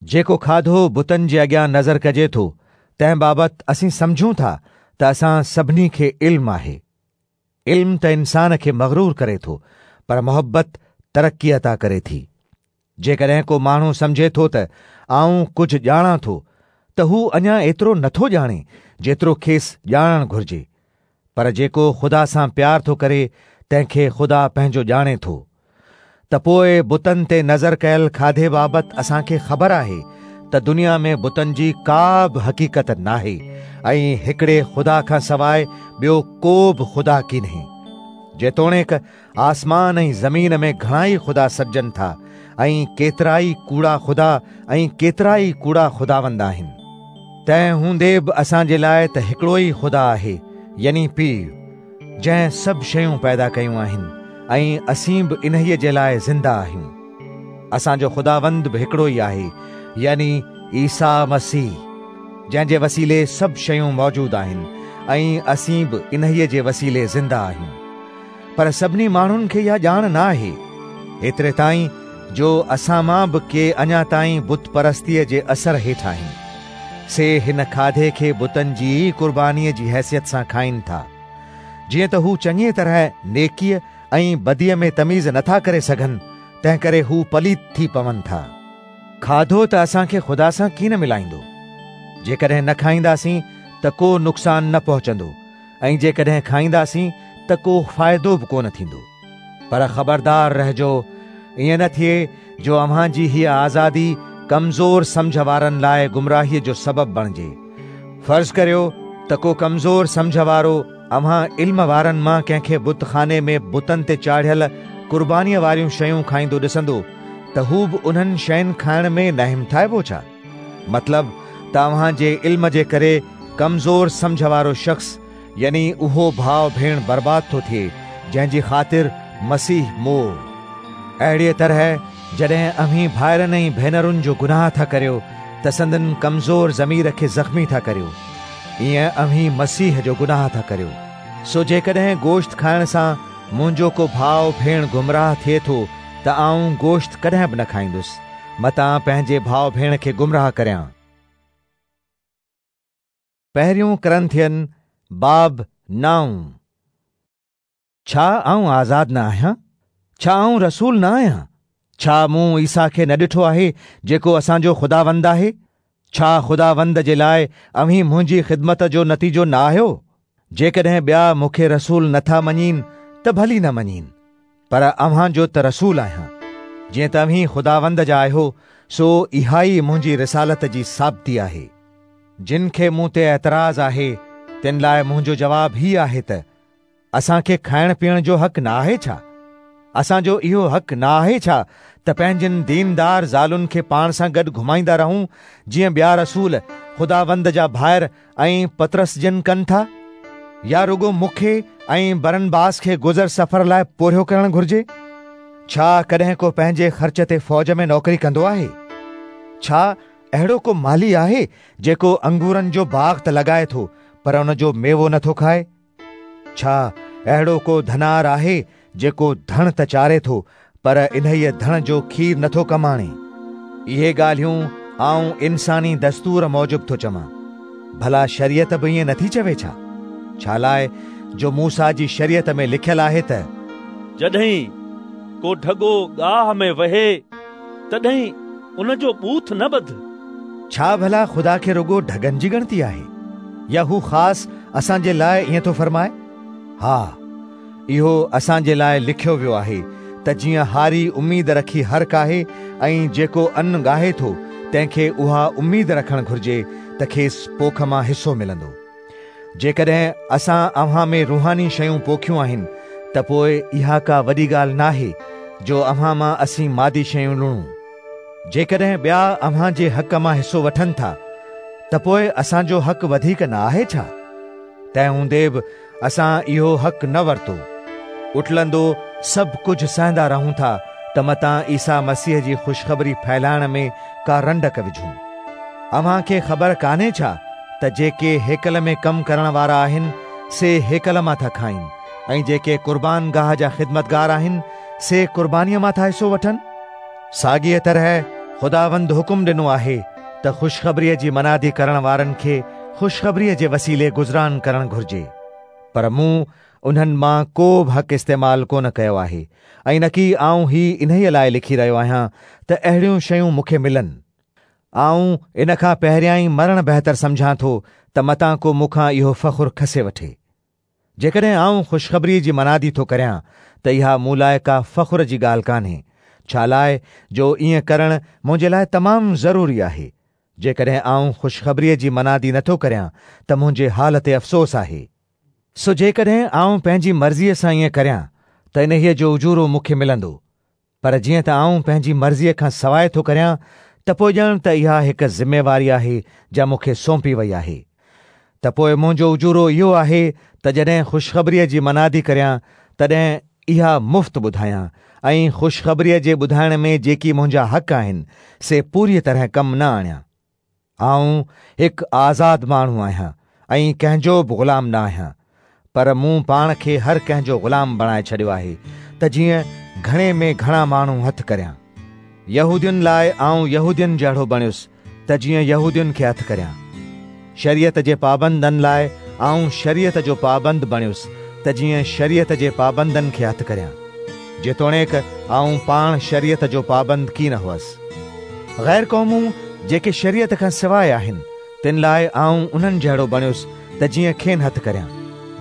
جيڪو کاڌو بتن جي اڳيان نظر ڪجي ٿو تنهن بابت اسين سمجهون ٿا ته اسان سڀني کي علم آهي. علم ته انسان کي مغرور ڪري ٿو، پر محبت ترقي عطا ڪري ٿي. جيڪڏهن ڪو ماڻهو سمجهي ٿو ته آئون ڪجهه ڄاڻان ٿو، ته هو اڃا ايترو نٿو ڄاڻي جيترو کيس ڄاڻڻ گهرجي. پر جيڪو خدا سان پيار ٿو ڪري تنهن کي خدا پنهنجو ڄاڻي ٿو. ته پوءِ بتن تي نظر ڪيل کاڌي بابت اسان کي خبر آهي ته دنيا ۾ بتن جي ڪا به حقيقت ناهي ۽ هڪڙي خدا کان سواءِ ٻيو ڪو به خدا ڪينهي. جيتوڻيڪ آسمان ۽ زمين ۾ گهڻا ئي خدا سڏجن ٿا ۽ ڪيترا ئي ڪوڙا خدا ۽ ڪيترا ئي ڪوڙا خداوند آهن، تنهن هوندي به اسان جي لاءِ ته هڪڙو ئي خدا آهي، يعني پيءُ، جنهن سڀ شيون پيدا ڪيون آهن ۽ اسين به انهيءَ جي لاءِ زنده آهيون. اسان جو خداوند به هڪڙو ئي آهي، يعني عيسيٰ مسيح، جنهن جي وسيلي سڀ شيون موجود آهن ۽ اسين به انهيءَ جي وسيلي زنده آهيون. پر سڀني ماڻهن کي اها ڄاڻ نه آهي، ايتري تائين جو اسان مان به ڪي اڃا تائين بت پرستيءَ جي اثر هيٺ آهن، سي هن کاڌي کي بتن جي ئي قربانيءَ جي حيثيت سان کائين ٿا. جيئن ته هو چڱيءَ طرح نيڪيءَ ۽ بديءَ ۾ تميز نٿا ڪري سگهن، تنهن ڪري هو پليت ٿي پون ٿا. کاڌو ته اسان کي خدا سان ڪين ملائيندو. جيڪڏهن نه کائينداسين ته ڪو نقصان نه پهچندو، ۽ جيڪڏهن کائينداسين ته ڪو فائدو به ڪونه ٿيندو. پر خبردار رهجو، ائين نه ٿئي جو اوهان جي هيءَ آزادي ڪمزور سمجهه وارن لاءِ گمراهيءَ جو سبب بڻجي. فرض ڪريو ته ڪو ڪمزور سمجهه وارو اوهان علم وارن مان ڪنهن کي بتخاني ۾ بتن تي چاڙهيل قربانيءَ واريون شيون کائيندو ڏسندو ته هو به انهن شين کائڻ ۾ نه همٿائبو ڇا؟ مطلب ته اوهان جي علم جي ڪري ڪمزور سمجهه وارو شخص، يعني اهو ڀاءُ ڀيڻ برباد ٿو ٿئي جنهن جي خاطر مسيح مئو. اهڙيءَ طرح جڏهن اوهين ڀائرن ۽ ڀينرن جو گناهه ٿا ڪريو ته سندن ڪمزور ضمير کي زخمي ٿا ڪريو، ائين اوهين مسيح جو گناهه ٿا ڪريو. سو جيڪڏهن گوشت کائڻ سان منهنجو ڪو ڀاءُ ڀيڻ گمراهه ٿئي ٿو ته آئون گوشت ڪڏهن به نه کائيندس، متان پنهنجي ڀاءُ ڀيڻ کي گمراهه ڪريان. پهريون ڪرنٿين باب نائون. ڇا آئون آزاد نه آهيان؟ ڇا آئون رسول نه آهيان؟ ڇا مون عيسيٰ کي نه ڏٺو آهي جيڪو اسان جو خداوند آهي؟ ڇا خداوند جي لاءِ اوهين منهنجي خدمت جو نتيجو نه آهيو؟ جيڪڏهن ٻيا مون کي رسول نٿا مڃين ته ڀلي نه مڃين، پر اوهان جو ته رسول آهيان. جيئن ته اوهين خداوند جا آهيو، سو اها ئي منهنجي رسالت جي ثابتي آهي. جن کي مون تي اعتراض آهي تن لاءِ منهنجو جواب هيءُ آهي ته اسان کي کائڻ پيئڻ جو حق نه آهي ڇا؟ اسان جو اهو حق نه آهي ڇا ته پنهنجن ديندار زالن کي پاڻ سان گڏ گهمائيندا رهون، جيئن ٻيا رسول خداوند جا ڀائر ۽ پطرس جن ڪن ٿا؟ يا رڳو مون کي ۽ برنباس کي گذر سفر لاءِ پورهيو ڪرڻ گهرجي؟ ڇا ڪڏهن ڪو پنهنجي خرچ تي فوج ۾ نوڪري ڪندو آهي؟ ڇا اهڙو ڪو مالهي آهي جيڪو انگورن جو باغ ته لڳائي ٿو پر ان جو ميوو نٿو کائي؟ ڇا اهڙو ڪو ڌنار آهي جيڪو ڌڻ ته چاري ٿو پر انهيء ڌڻ جو کير نٿو ڪم آڻي؟ اهي ڳالهيون آئون انساني دستور موجب ٿو چوان. ڀلا شريعت به ائين نٿي چوي ڇا؟ ڇا لاءِ جو موسيٰ جي شريعت ۾ لکيل آهي ته جڏهن ڪو ڍڳو گاهه ۾ وهي تڏهن ان جو ٻوٿ نه ٻڌ. ڇا ڀلا خدا کي رڳو ڍڳن جي ڳڻتي آهي يا هو خاص اسان جي لاءِ ائين ٿو فرمائي؟ ها، اهو اسان جي لاءِ لکيو ويو آهي ته جيئن هاري اميد رکي هر ڪاهي ۽ جيڪو ان ڳاهي ٿو تنهن کي اها اميد رکڻ گهرجي ته کيس پوک مان حصو ملندو. جيڪڏهن اسان اوهان ۾ روحاني شيون پوکيون آهن ته پوءِ اها ڪا وڏي ڳالهه ناهي جو اوهان مان اسين مادي شيون لڻون. جيڪڏهن ٻيا اوهان جي حق مان حصو وٺن ٿا ته پوءِ اسان جو حق وڌيڪ نه آهي ڇا؟ تنهن هوندي به اسان اهو حق نه ورتو. اٽلندو سڀ ڪجهه سهندا رهون ٿا ته متان عيسيٰ مسيح جي خوشخبري ڦهلائڻ ۾ ڪا رنڊڪ وجهون. اوهان کي خبر ڪانهي ڇا ته جيڪي هيڪل ۾ ڪم ڪرڻ وارا آهن سي هيڪل مان ٿا کائين ۽ جيڪي قربان گاهه جا خدمتگار آهن سي قربانيءَ مان ٿا حصو وٺن؟ ساڳيءَ طرح خداوند حڪم ڏنو آهي ته خوشخبريءَ جي منادي ڪرڻ وارن کي خوشخبريءَ جي وسيلي گذران ڪرڻ گهرجي. پر مون انهن مان ڪو به حق استعمال ڪونه ڪيو آهي ۽ نه ڪي آئون هي انهيءَ لاءِ لکي رهيو آهيان ته اهڙيون شيون مون کي ملن. آئون ان کان پهريان ئي مرڻ بهتر سمجهان ٿو ته متان ڪو مون کان اهو فخر کسي وٺي. جيڪڏهن آئون خوشخبريءَ جي منادي ٿو ڪريان ته اها مون لاءِ ڪا فخر جي ڳالهه ڪانهي، ڇا لاءِ جو ائين ڪرڻ منهنجي لاءِ تمام ضروري آهي. جيڪڏهن آئون خوشخبريءَ جي منادي نٿو ڪريان ته منهنجي حال تي افسوس آهي. سو جيڪڏهن آئون پنهنجي مرضيءَ سان ائين ڪريان ته انهيءَ جو اجورو مون کي ملندو، پر جيئن ته آئون پنهنجي مرضيءَ کان سواءِ ٿو ڪريان ته پوءِ ڄڻ ته اها هڪ ذميواري آهي جا مون کي سونپي وئي آهي. ته پوءِ منهنجو اجورو اهو آهي ته جڏهن خوشخبريءَ جي منادي ڪريان تڏهن اها مفت ٻڌايان ۽ خوشخبريءَ جي ٻڌائڻ ۾ جيڪي منهنجا حق آهن سي پوريءَ طرح ڪم نه آڻيان. آئون هڪ آزاد ماڻهو آهيان ۽ ڪنهن جو به غلام نه آهيان، پر مون پاڻ کي هر ڪنهن جو غلام بڻائي ڇڏيو آهي ته جيئن گهڻي ۾ گهڻا ماڻهو هٿ ڪريان. يهودين لاءِ آئون يهودين جهڙو بڻيس ته جيئن يهودين کي هٿ ڪريان. شريعت جي پابندن لاءِ آئون شريعت جو پابند بڻيس ته جيئن شريعت جي پابندن کي هٿ ڪريان، جيتوڻيڪ آئون پاڻ شريعت جو پابند ڪين هئس. غير قومون جيڪي شريعت کان سواءِ آهن تن لاءِ آئون انهن جهڙو بڻيس ته جيئن کين هٿ ڪريان،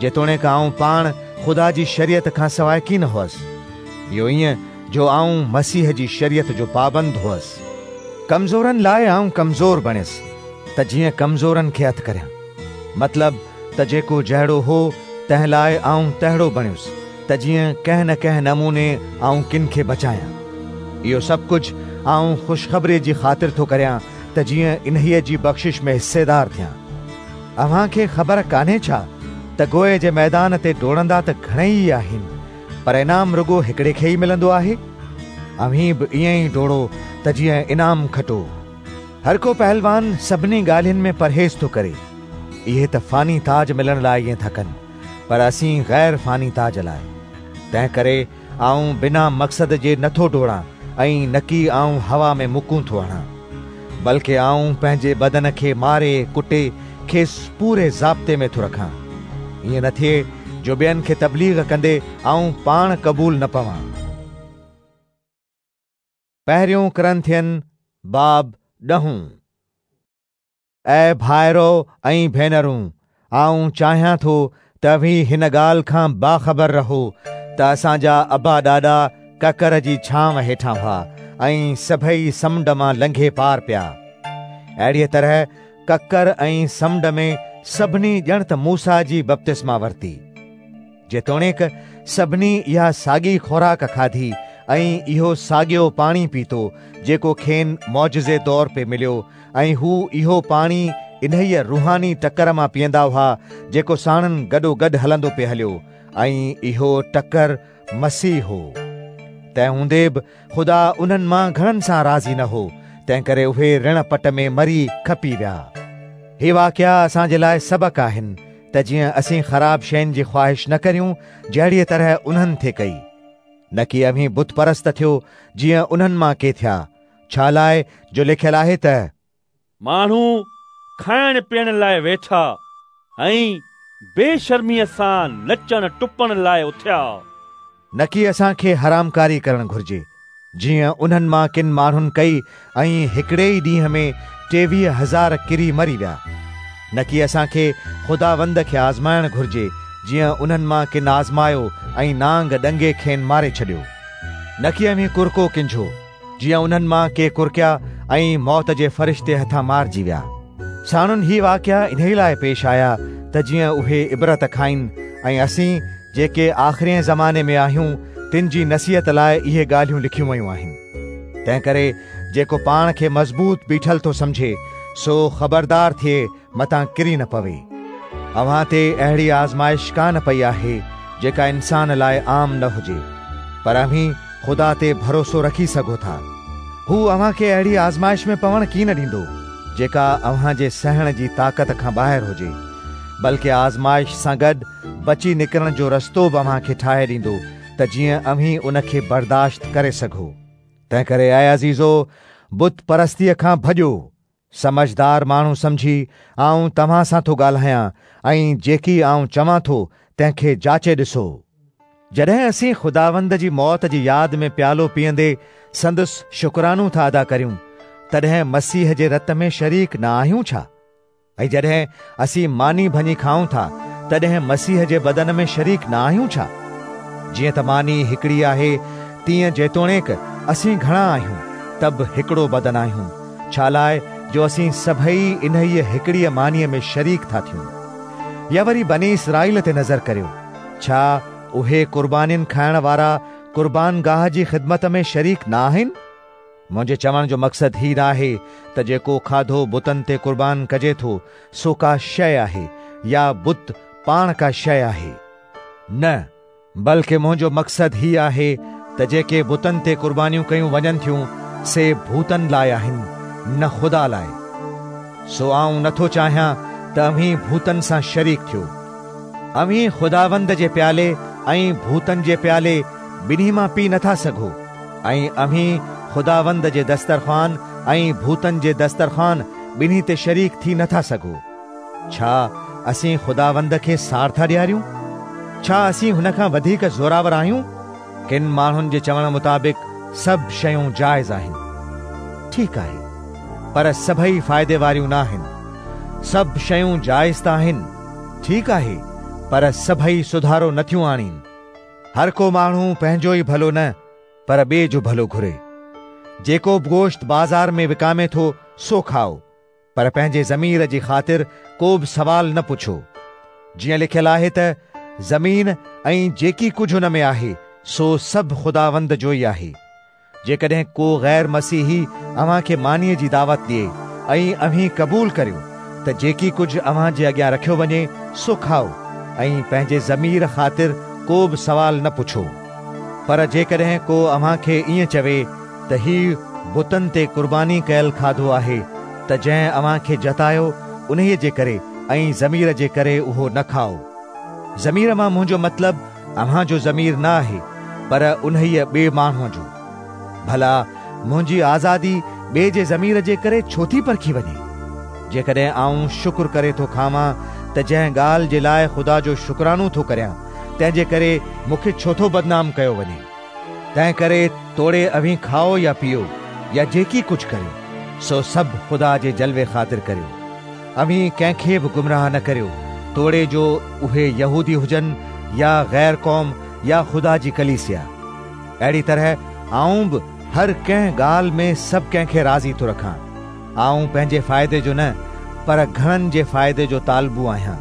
جيتوڻيڪ آئون پاڻ خدا جي شريعت کان سواءِ ڪين هئس. اهو ائين جو آئون مسيح جي شريعت جو پابند هئس. ڪمزورن لاءِ آئون ڪمزور بڻيس ته جيئن ڪمزورن کي هٿ ڪريان. مطلب ته جيڪو جهڙو هو تنهن لاءِ آئون تهڙو بڻيس ته جيئن ڪنهن نه ڪنهن نموني آئون ڪن کي بچايان. اهو سڀ ڪجهه آئون خوشخبريءَ جي خاطر ٿو ڪريان ته جيئن انهيءَ جي بخشش ۾ حصيدار ٿيان. اوهان کي خبر ڪانهي ڇا ته گوئي جي ميدان تي ڊوڙندا ته گهڻيئي ئي آهن، پر انعام رڳو هڪڙي کي ئي ملندو آهي؟ اوهين به ائين ئي ڊوڙو ته جيئن انعام کٽو. هر ڪو پهلوان سڀني ڳالهين ۾ پرهيز ٿو ڪري. اهي ته فاني تاج ملڻ لاءِ ائين ٿا ڪن، پر اسين غير فاني تاج لاءِ. تنهن ڪري آئون بنا مقصد جي نٿو ڊوڙان ۽ نه ڪي آئون هوا ۾ مڪون ٿو هڻان، بلڪه آئون پنهنجي بدن کي ماري ڪٽي کيس پوري ضابطي ۾ ٿو رکان، ائين نه ٿئي جو ٻين کي تبليغ ڪندي آئون پاڻ قبول نه پوان. پهريون ڪرنٿين باب ڏهون. اي ڀائرو ۽ ڀينرون، آئون چاهيان ٿو ته اوهين هن ڳالهه کان باخبر رهو ته اسان جا ابا ڏاڏا ڪڪر جي ڇانو هيٺان هئا ۽ سڀئي سمنڊ مان لنگهي پار پيا. اهڙيءَ طرح ڪڪر ۽ سمنڊ ۾ سڀني ڄڻ ته موسيٰ جي بپتسما ورتي. جيتوڻيڪ سڀني اها ساڳي خوراڪ کاڌي ۽ اهو ساڳيو پاڻي پيتو جيڪو کين معجزي طور پي مليو، ۽ هو اهو پاڻي انهيءَ روحاني ٽڪر مان پيئندا هئا جيڪو ساڻن گڏو گڏ هلندو پئي هليو، ۽ اهو ٽڪر مسيح هو. تنهن هوندي به خدا انهن مان گهڻن سان راضي نه هو، تنهن ڪري اهي رڻ پٽ ۾ مري کپي ويا. هي واقعا اسان جي لاءِ سبق آهن ته جيئن اسين خراب شين جي خواهش نه ڪريون جهڙيء طرح انهن ٿي ڪئي. نه ڪي اوهين بت پرست ٿيو جيئن انهن مان ڪي ٿيا، ڇا لاءِ جو لکيل آهي ته ماڻهو کائڻ پيئڻ لاءِ ويٺا ۽ بيشرميءَ سان نچڻ ٽپڻ لاءِ اٿيا. نه ڪي اسان کي حرامڪاري ڪرڻ گهرجي جيئن انهن مان ڪن ماڻهن ڪئي ۽ هڪڙي ئي ڏينهن ۾ ٽيويهه هزار ڪري مري ويا. نه ڪي اسان کي خداوند کي آزمائڻ گهرجي جيئن انهن مان ڪن آزمايو ۽ نانگ ڏنگي کين ماري ڇڏيو. نه ڪي اوهين ڪرڪو ڪنجهو جيئن انهن مان ڪي ڪرڪيا ۽ موت جي فرشتي هٿان مارجي ويا. ساڻن هي واقعا انهيءَ لاءِ پيش آيا ته جيئن اهي عبرت کائين ۽ اسين جيڪي آخرين زماني ۾ آهيون تن جي نصيحت لاءِ اهي ڳالهيون لکيون ويون آهن. تنهن ڪري جيڪو پاڻ کي مضبوط بيٺل ٿو سمجهي سو خبردار ٿئي متان ڪري نه پوي. اوهان تي اهڙي آزمائش ڪانه پئي آهي جيڪا انسان لاءِ عام نه هجي، پر اوهين خدا تي ڀروسو رکي سگهو ٿا. هو اوهان کي اهڙي آزمائش ۾ پوڻ ڪين ڏيندو جيڪا اوهان جي سهڻ جي طاقت کان ٻاهر هجي، بلڪه آزمائش سان گڏ بچي نڪرڻ جو رستو به اوهان کي ٺاهي ڏيندو ته جيئن اوهين ان کي برداشت ڪري سگهو. تنهن ڪري اي عزيزو، بت پرستيءَ کان ڀڄو. سمجهدار ماڻهو سمجهي آئون توهان سان ٿو ڳالهايان ۽ جيڪي آئون چوان ٿو تنهن کي جاچي ڏسو. جڏهن اسين خداوند جي موت جي ياد ۾ پيالو پيئندي سندس شڪرانو ٿا ادا ڪريون، تڏهن مسيح جي رت ۾ شريڪ نه آهيون ڇا؟ ۽ جڏهن اسين ماني ڀڃي کائون ٿا تڏهن مسيح جي بدن ۾ شريڪ نه آهيون ڇا؟ جيئن ته ماني هڪڙي آهي تيئن جيتوڻيڪ اسين گهڻا آهيون ته به هڪڙو بدن آهيون، ڇا لاءِ جو اسين سڀئي انهيءَ هڪڙيءَ مانيءَ ۾ شريڪ ٿا ٿيون. يا وري بني اسرائيل تي نظر ڪريو، ڇا اهي قربانين کائڻ وارا قربان گاهه جي خدمت ۾ شريڪ نه آهن؟ منهنجي چوڻ جو مقصد هي نه آهي ته جيڪو کاڌو بتن تي قربان ڪجي ٿو سو ڪا شيءِ آهي يا بت پاڻ ڪا شيءِ آهي. نه، بلڪه منهنجو مقصد هي آهي ته جيڪي بتن تي قربانيون ڪيون وڃن ٿيون سي ڀوتن لاءِ آهن، نه خدا لاءِ. سو آئون نٿو چاهيان ته اوهين ڀوتن سان شريڪ ٿيو. اوهين خداوند جي پيالي ۽ ڀوتن جي پيالي ٻنهي مان پي نٿا سگهو، ۽ اوهين خداوند جي دسترخوان ۽ ڀوتن جي دسترخوان ٻنهي تي شريڪ ٿي نٿا سگهو. ڇا اسين خداوند کي ساڙ ٿا ڏياريون؟ ڇا اسين هن کان وڌيڪ زوراور آهيون؟ ڪن ماڻهن جي چوڻ مطابق سڀ شيون جائز آهن. ٺيڪ آهي، پر سڀئي فائدي واريون نه آهن. سڀ شيون جائز ته آهن، ٺيڪ آهي، پر سڀئي سڌارو نٿيون آڻين. هر ڪو ماڻهو پنهنجو ئي ڀلو نه پر ٻئي جو ڀلو گهري. جيڪو به گوشت بازار ۾ وڪامي ٿو سو کائو، پر پنهنجي ضمير جي خاطر ڪو به سوال نه پڇو. جيئن لکيل آهي ته زمين ۽ جيڪي ڪجهه هن ۾ آهي سو سڀ خداوند جو ئي آهي. جيڪڏهن ڪو غير مسيحي اوهان کي مانيءَ جي دعوت ڏئي ۽ اوهين قبول ڪريو ته جيڪي ڪجهه اوهان جي اڳيان رکيو وڃي سو کائو ۽ پنهنجي ضمير خاطر ڪو به سوال نه پڇو. پر جيڪڏهن ڪو اوهان کي ائين چوي ته هي بتن تي قرباني ڪيل کاڌو آهي، ته جنهن اوهان کي جتايو انهيءَ جي ڪري ۽ ضمير جي ڪري اهو نه کائو. ضمير مان منهنجو مطلب اوهان جو ضمير نه آهي، پر انهيءَ ٻئي ماڻهوءَ جو. ڀلا منهنجي آزادي ٻئي جي ضمير جي ڪري ڇو ٿي پرکي وڃي؟ جيڪڏهن آئون شڪر ڪري ٿو کاوان ته جنهن ڳالهه جي لاءِ خدا جو شڪرانو ٿو ڪريان تنهن جي ڪري مون کي ڇو ٿو بدنام ڪيو وڃي؟ تنهن ڪري توڙي اوهين کائو يا پيئو يا جيڪي ڪجهه ڪريو سو سڀ خدا جي جلوي خاطر ڪريو. اوهين ڪنهن کي به گمراهه نه ڪريو، توڙي جو اهي يهودي هجن يا غير قوم يا خدا جي ڪليسيا. اهڙي طرح آئون به هر ڪنهن ڳالهه ۾ سڀ ڪنهن کي راضي ٿو رکان. آئون پنهنجي فائدي جو نه پر گهڻن جي فائدي جو طالبو آهيان،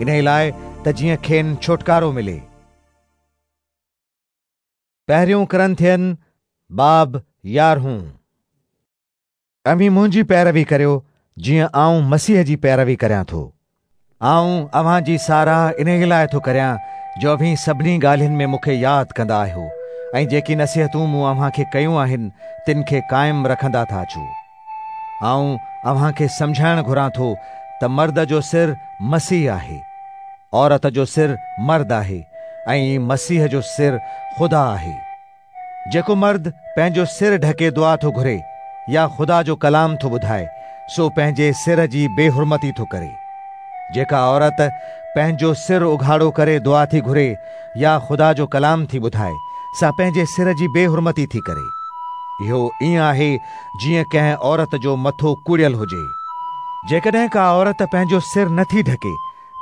ان لاءِ ته جيئن کين ڇوٽڪارو ملي. پهريون ڪرنٿين باب يارهون. اوهين منهنجي پيروي ڪريو جيئن آئون مسيح جي پيروي ڪريان ٿو. آئون اوهان جي ساراهه ان لاءِ ٿو ڪريان جو اوهين سڀني ڳالهين ۾ مون کي ياد ڪندا آهيو ۽ جيڪي نصيحتون مون اوهان کي ڪيون آهن تن کي قائم رکندا ٿا اچو. آئون اوهان کي سمجهائڻ گهران ٿو ته مرد جو سر مسيح آهي عورت جو سر مرد آهي ۽ مسيح جو سر خدا آهي. جيڪو مرد پنهنجو سر ڍڪي دعا ٿو گهري يا خدا جو ڪلام ٿو ٻڌائي، سو پنهنجي سر جي بيحرمتي ٿو ڪري. جيڪا عورت پنهنجو سر اگهاڙو ڪري دعا ٿي گهري يا خدا جو ڪلام ٿي ٻڌائي، سا پنهنجي سر جي بيحرمتي ٿي ڪري. اهو ائين آهي جيئن ڪنهن عورت جو مٿو ڪوڙيل هجي. جيڪڏهن ڪا عورت پنهنجو سر نٿي ڍڪي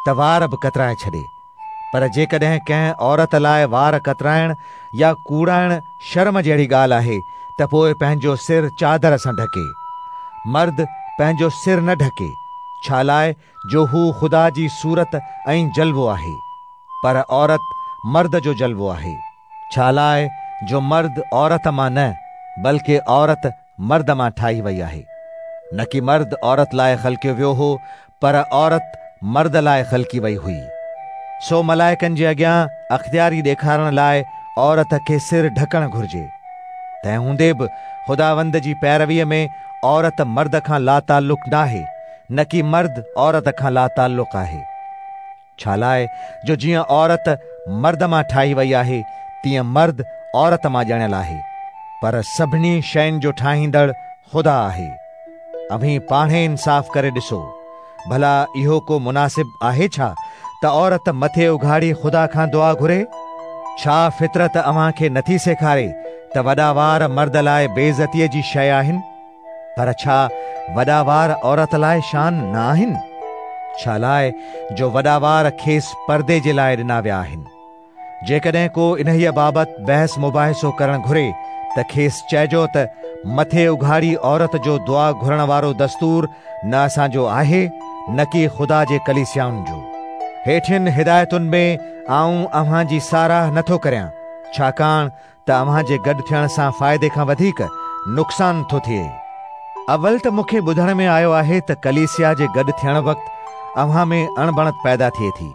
ته وار به ڪترائي ڇڏي، پر جيڪڏهن ڪنهن عورت لاءِ وار ڪترائڻ يا ڪوڙائڻ شرم جهڙي ڳالهه آهي ته پوءِ پنهنجو سر چادر سان ڍڪي. مرد پنهنجو سر نه ڍڪي، ڇا لاءِ جو هو خدا جي صورت ۽ جلوو آهي، پر عورت مرد جو جلوو آهي. ڇا لاءِ جو مرد عورت مان نه بلڪه عورت مرد مان ٺاهي وئي آهي. نه ڪي مرد عورت لاءِ خلقيو ويو هو، پر عورت مرد لاءِ خلقي وئي هئي. سو ملائڪن جي اڳيان اختياري ڏيکارڻ لاءِ عورت کي سر ڍڪڻ گهرجي. تنهن هوندي به خداوند جي پيرويءَ ۾ عورت مرد کان لاتعلق ناهي، نه ڪي مرد عورت کان لاتعلق آهي. ڇا لاءِ جو جيئن عورت مرد مان ٺاهي وئي آهي، تيئن مرد عورت مان ڄڻيل آهي، پر سڀني شين جو ٺاهيندڙ خدا آهي. اوهين پاڻهي انصاف ڪري ڏسو، ڀلا اهو ڪو مناسب آهي ڇا ته عورت مٿي اگهاڙي خدا کان دعا گهري؟ ڇا فطرت اوهان کي نٿي سيکاري ته وڏا وار مرد لاءِ بيعزتيءَ جي شيءِ آهن؟ پر ڇا وڏا وار عورت لاءِ شان نه آهن؟ ڇا لاءِ جو وڏا وار کيس پردي جي لاءِ ڏنا ويا آهن. جيڪڏهن ڪو انهيءَ بابت بحث مباحثو ڪرڻ گهري ته کيس چئجو ته مٿي اگهاڙي عورت جو دعا گهرڻ وارو دستور نه اسان جو آهي، نه ڪي خدا جي ڪليسيائن جو. هيٺين هدايتن ۾ آئون اوهان جي ساراهه نٿو ڪريان، ڇاڪاڻ ته اوهان جي گڏ ٿيڻ سان فائدي کان وڌيڪ نقصان ٿو ٿئي. اول ته مون کي ٻڌڻ ۾ آيو آهي ته ڪليسيا جي گڏ ٿيڻ وقت اوهان ۾ اڻبڻت پيدا ٿئي ٿي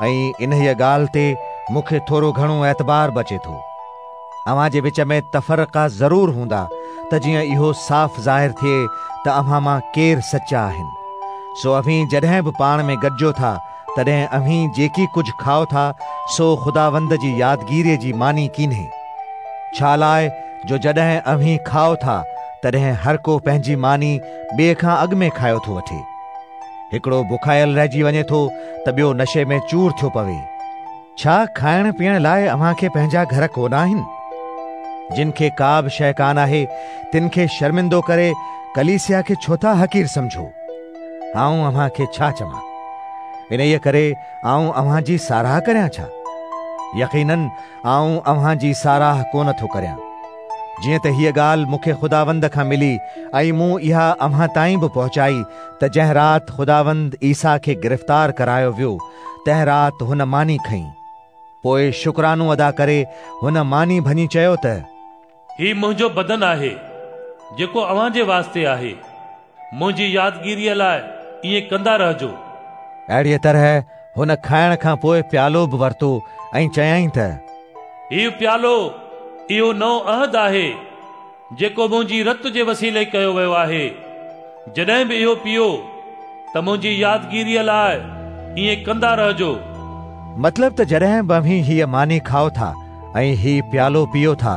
۽ انهيءَ ڳالهه تي مون کي ٿورو گهڻو اعتبار بچي ٿو. اوهان جي وچ ۾ تفرقا ضرور هوندا ته جيئن اهو صاف ظاهر ٿئي ته اوهان مان ڪير سچا آهن. سو اوهين جڏهن به پاڻ ۾ گڏجو ٿا، تڏهن اوهين جيڪي ڪجهه کائو ٿا سو خداوند جي يادگيريءَ جي ماني ڪينهي. ڇا لاءِ جو جڏهن اوهين کائو ٿا تڏهن هر ڪو پنهنجي ماني ٻئي کان اڳ ۾ کايو ٿو وٺي. هڪڙو بکايل رهجي وڃي ٿو ته ٻيو نشي ۾ چور ٿيو پوي. ڇا کائڻ پيئڻ لاءِ اوهان کي پنهنجا گهر ڪونه آهن؟ جن کي ڪا به شيءِ ڪانه آهي تن کي شرمندو ڪري ڪليسيا کي ڇو ٿا حقير سمجهو؟ آئون اوهان کي ڇا چوان؟ انهيءَ ڪري آئون اوهان جي ساراهه ڪريان ڇا؟ يقينن آئون اوهان جي ساراهه ڪونه ٿو ڪريان. جيئن ته هيءَ ڳالهه مون کي خداوند کان ملي ۽ مون اها اوهان تائين به پهچائي ته جنهن رات خداوند عيسيٰ کي گرفتار ڪرايو ويو، تنهن رات هن ماني کنئي. پوءِ شڪرانو ادا ڪري هن ماني ڀڃي چيو ته هي منهنجو بدن آهي جيڪو اوهان جي واسطي آهي، منهنجي يادگيريءَ لاءِ ائين ڪندا رهجو. اهڙيءَ طرح هن کائڻ کان پوءِ پيالو به ورتو ۽ چيائين ته هيءُ پيالو اهو نئون عهد آهي جيڪو منهنجي رت جي وسيلي ڪيو ويو آهي. جڏهن به اهو پيئو ته منهنجي يادگيريءَ لاءِ ائين ڪندا رهجو. مطلب ته جڏهن به اوهين هيءَ ماني کائو ٿا ۽ هيءُ پيالو پيئو ٿا،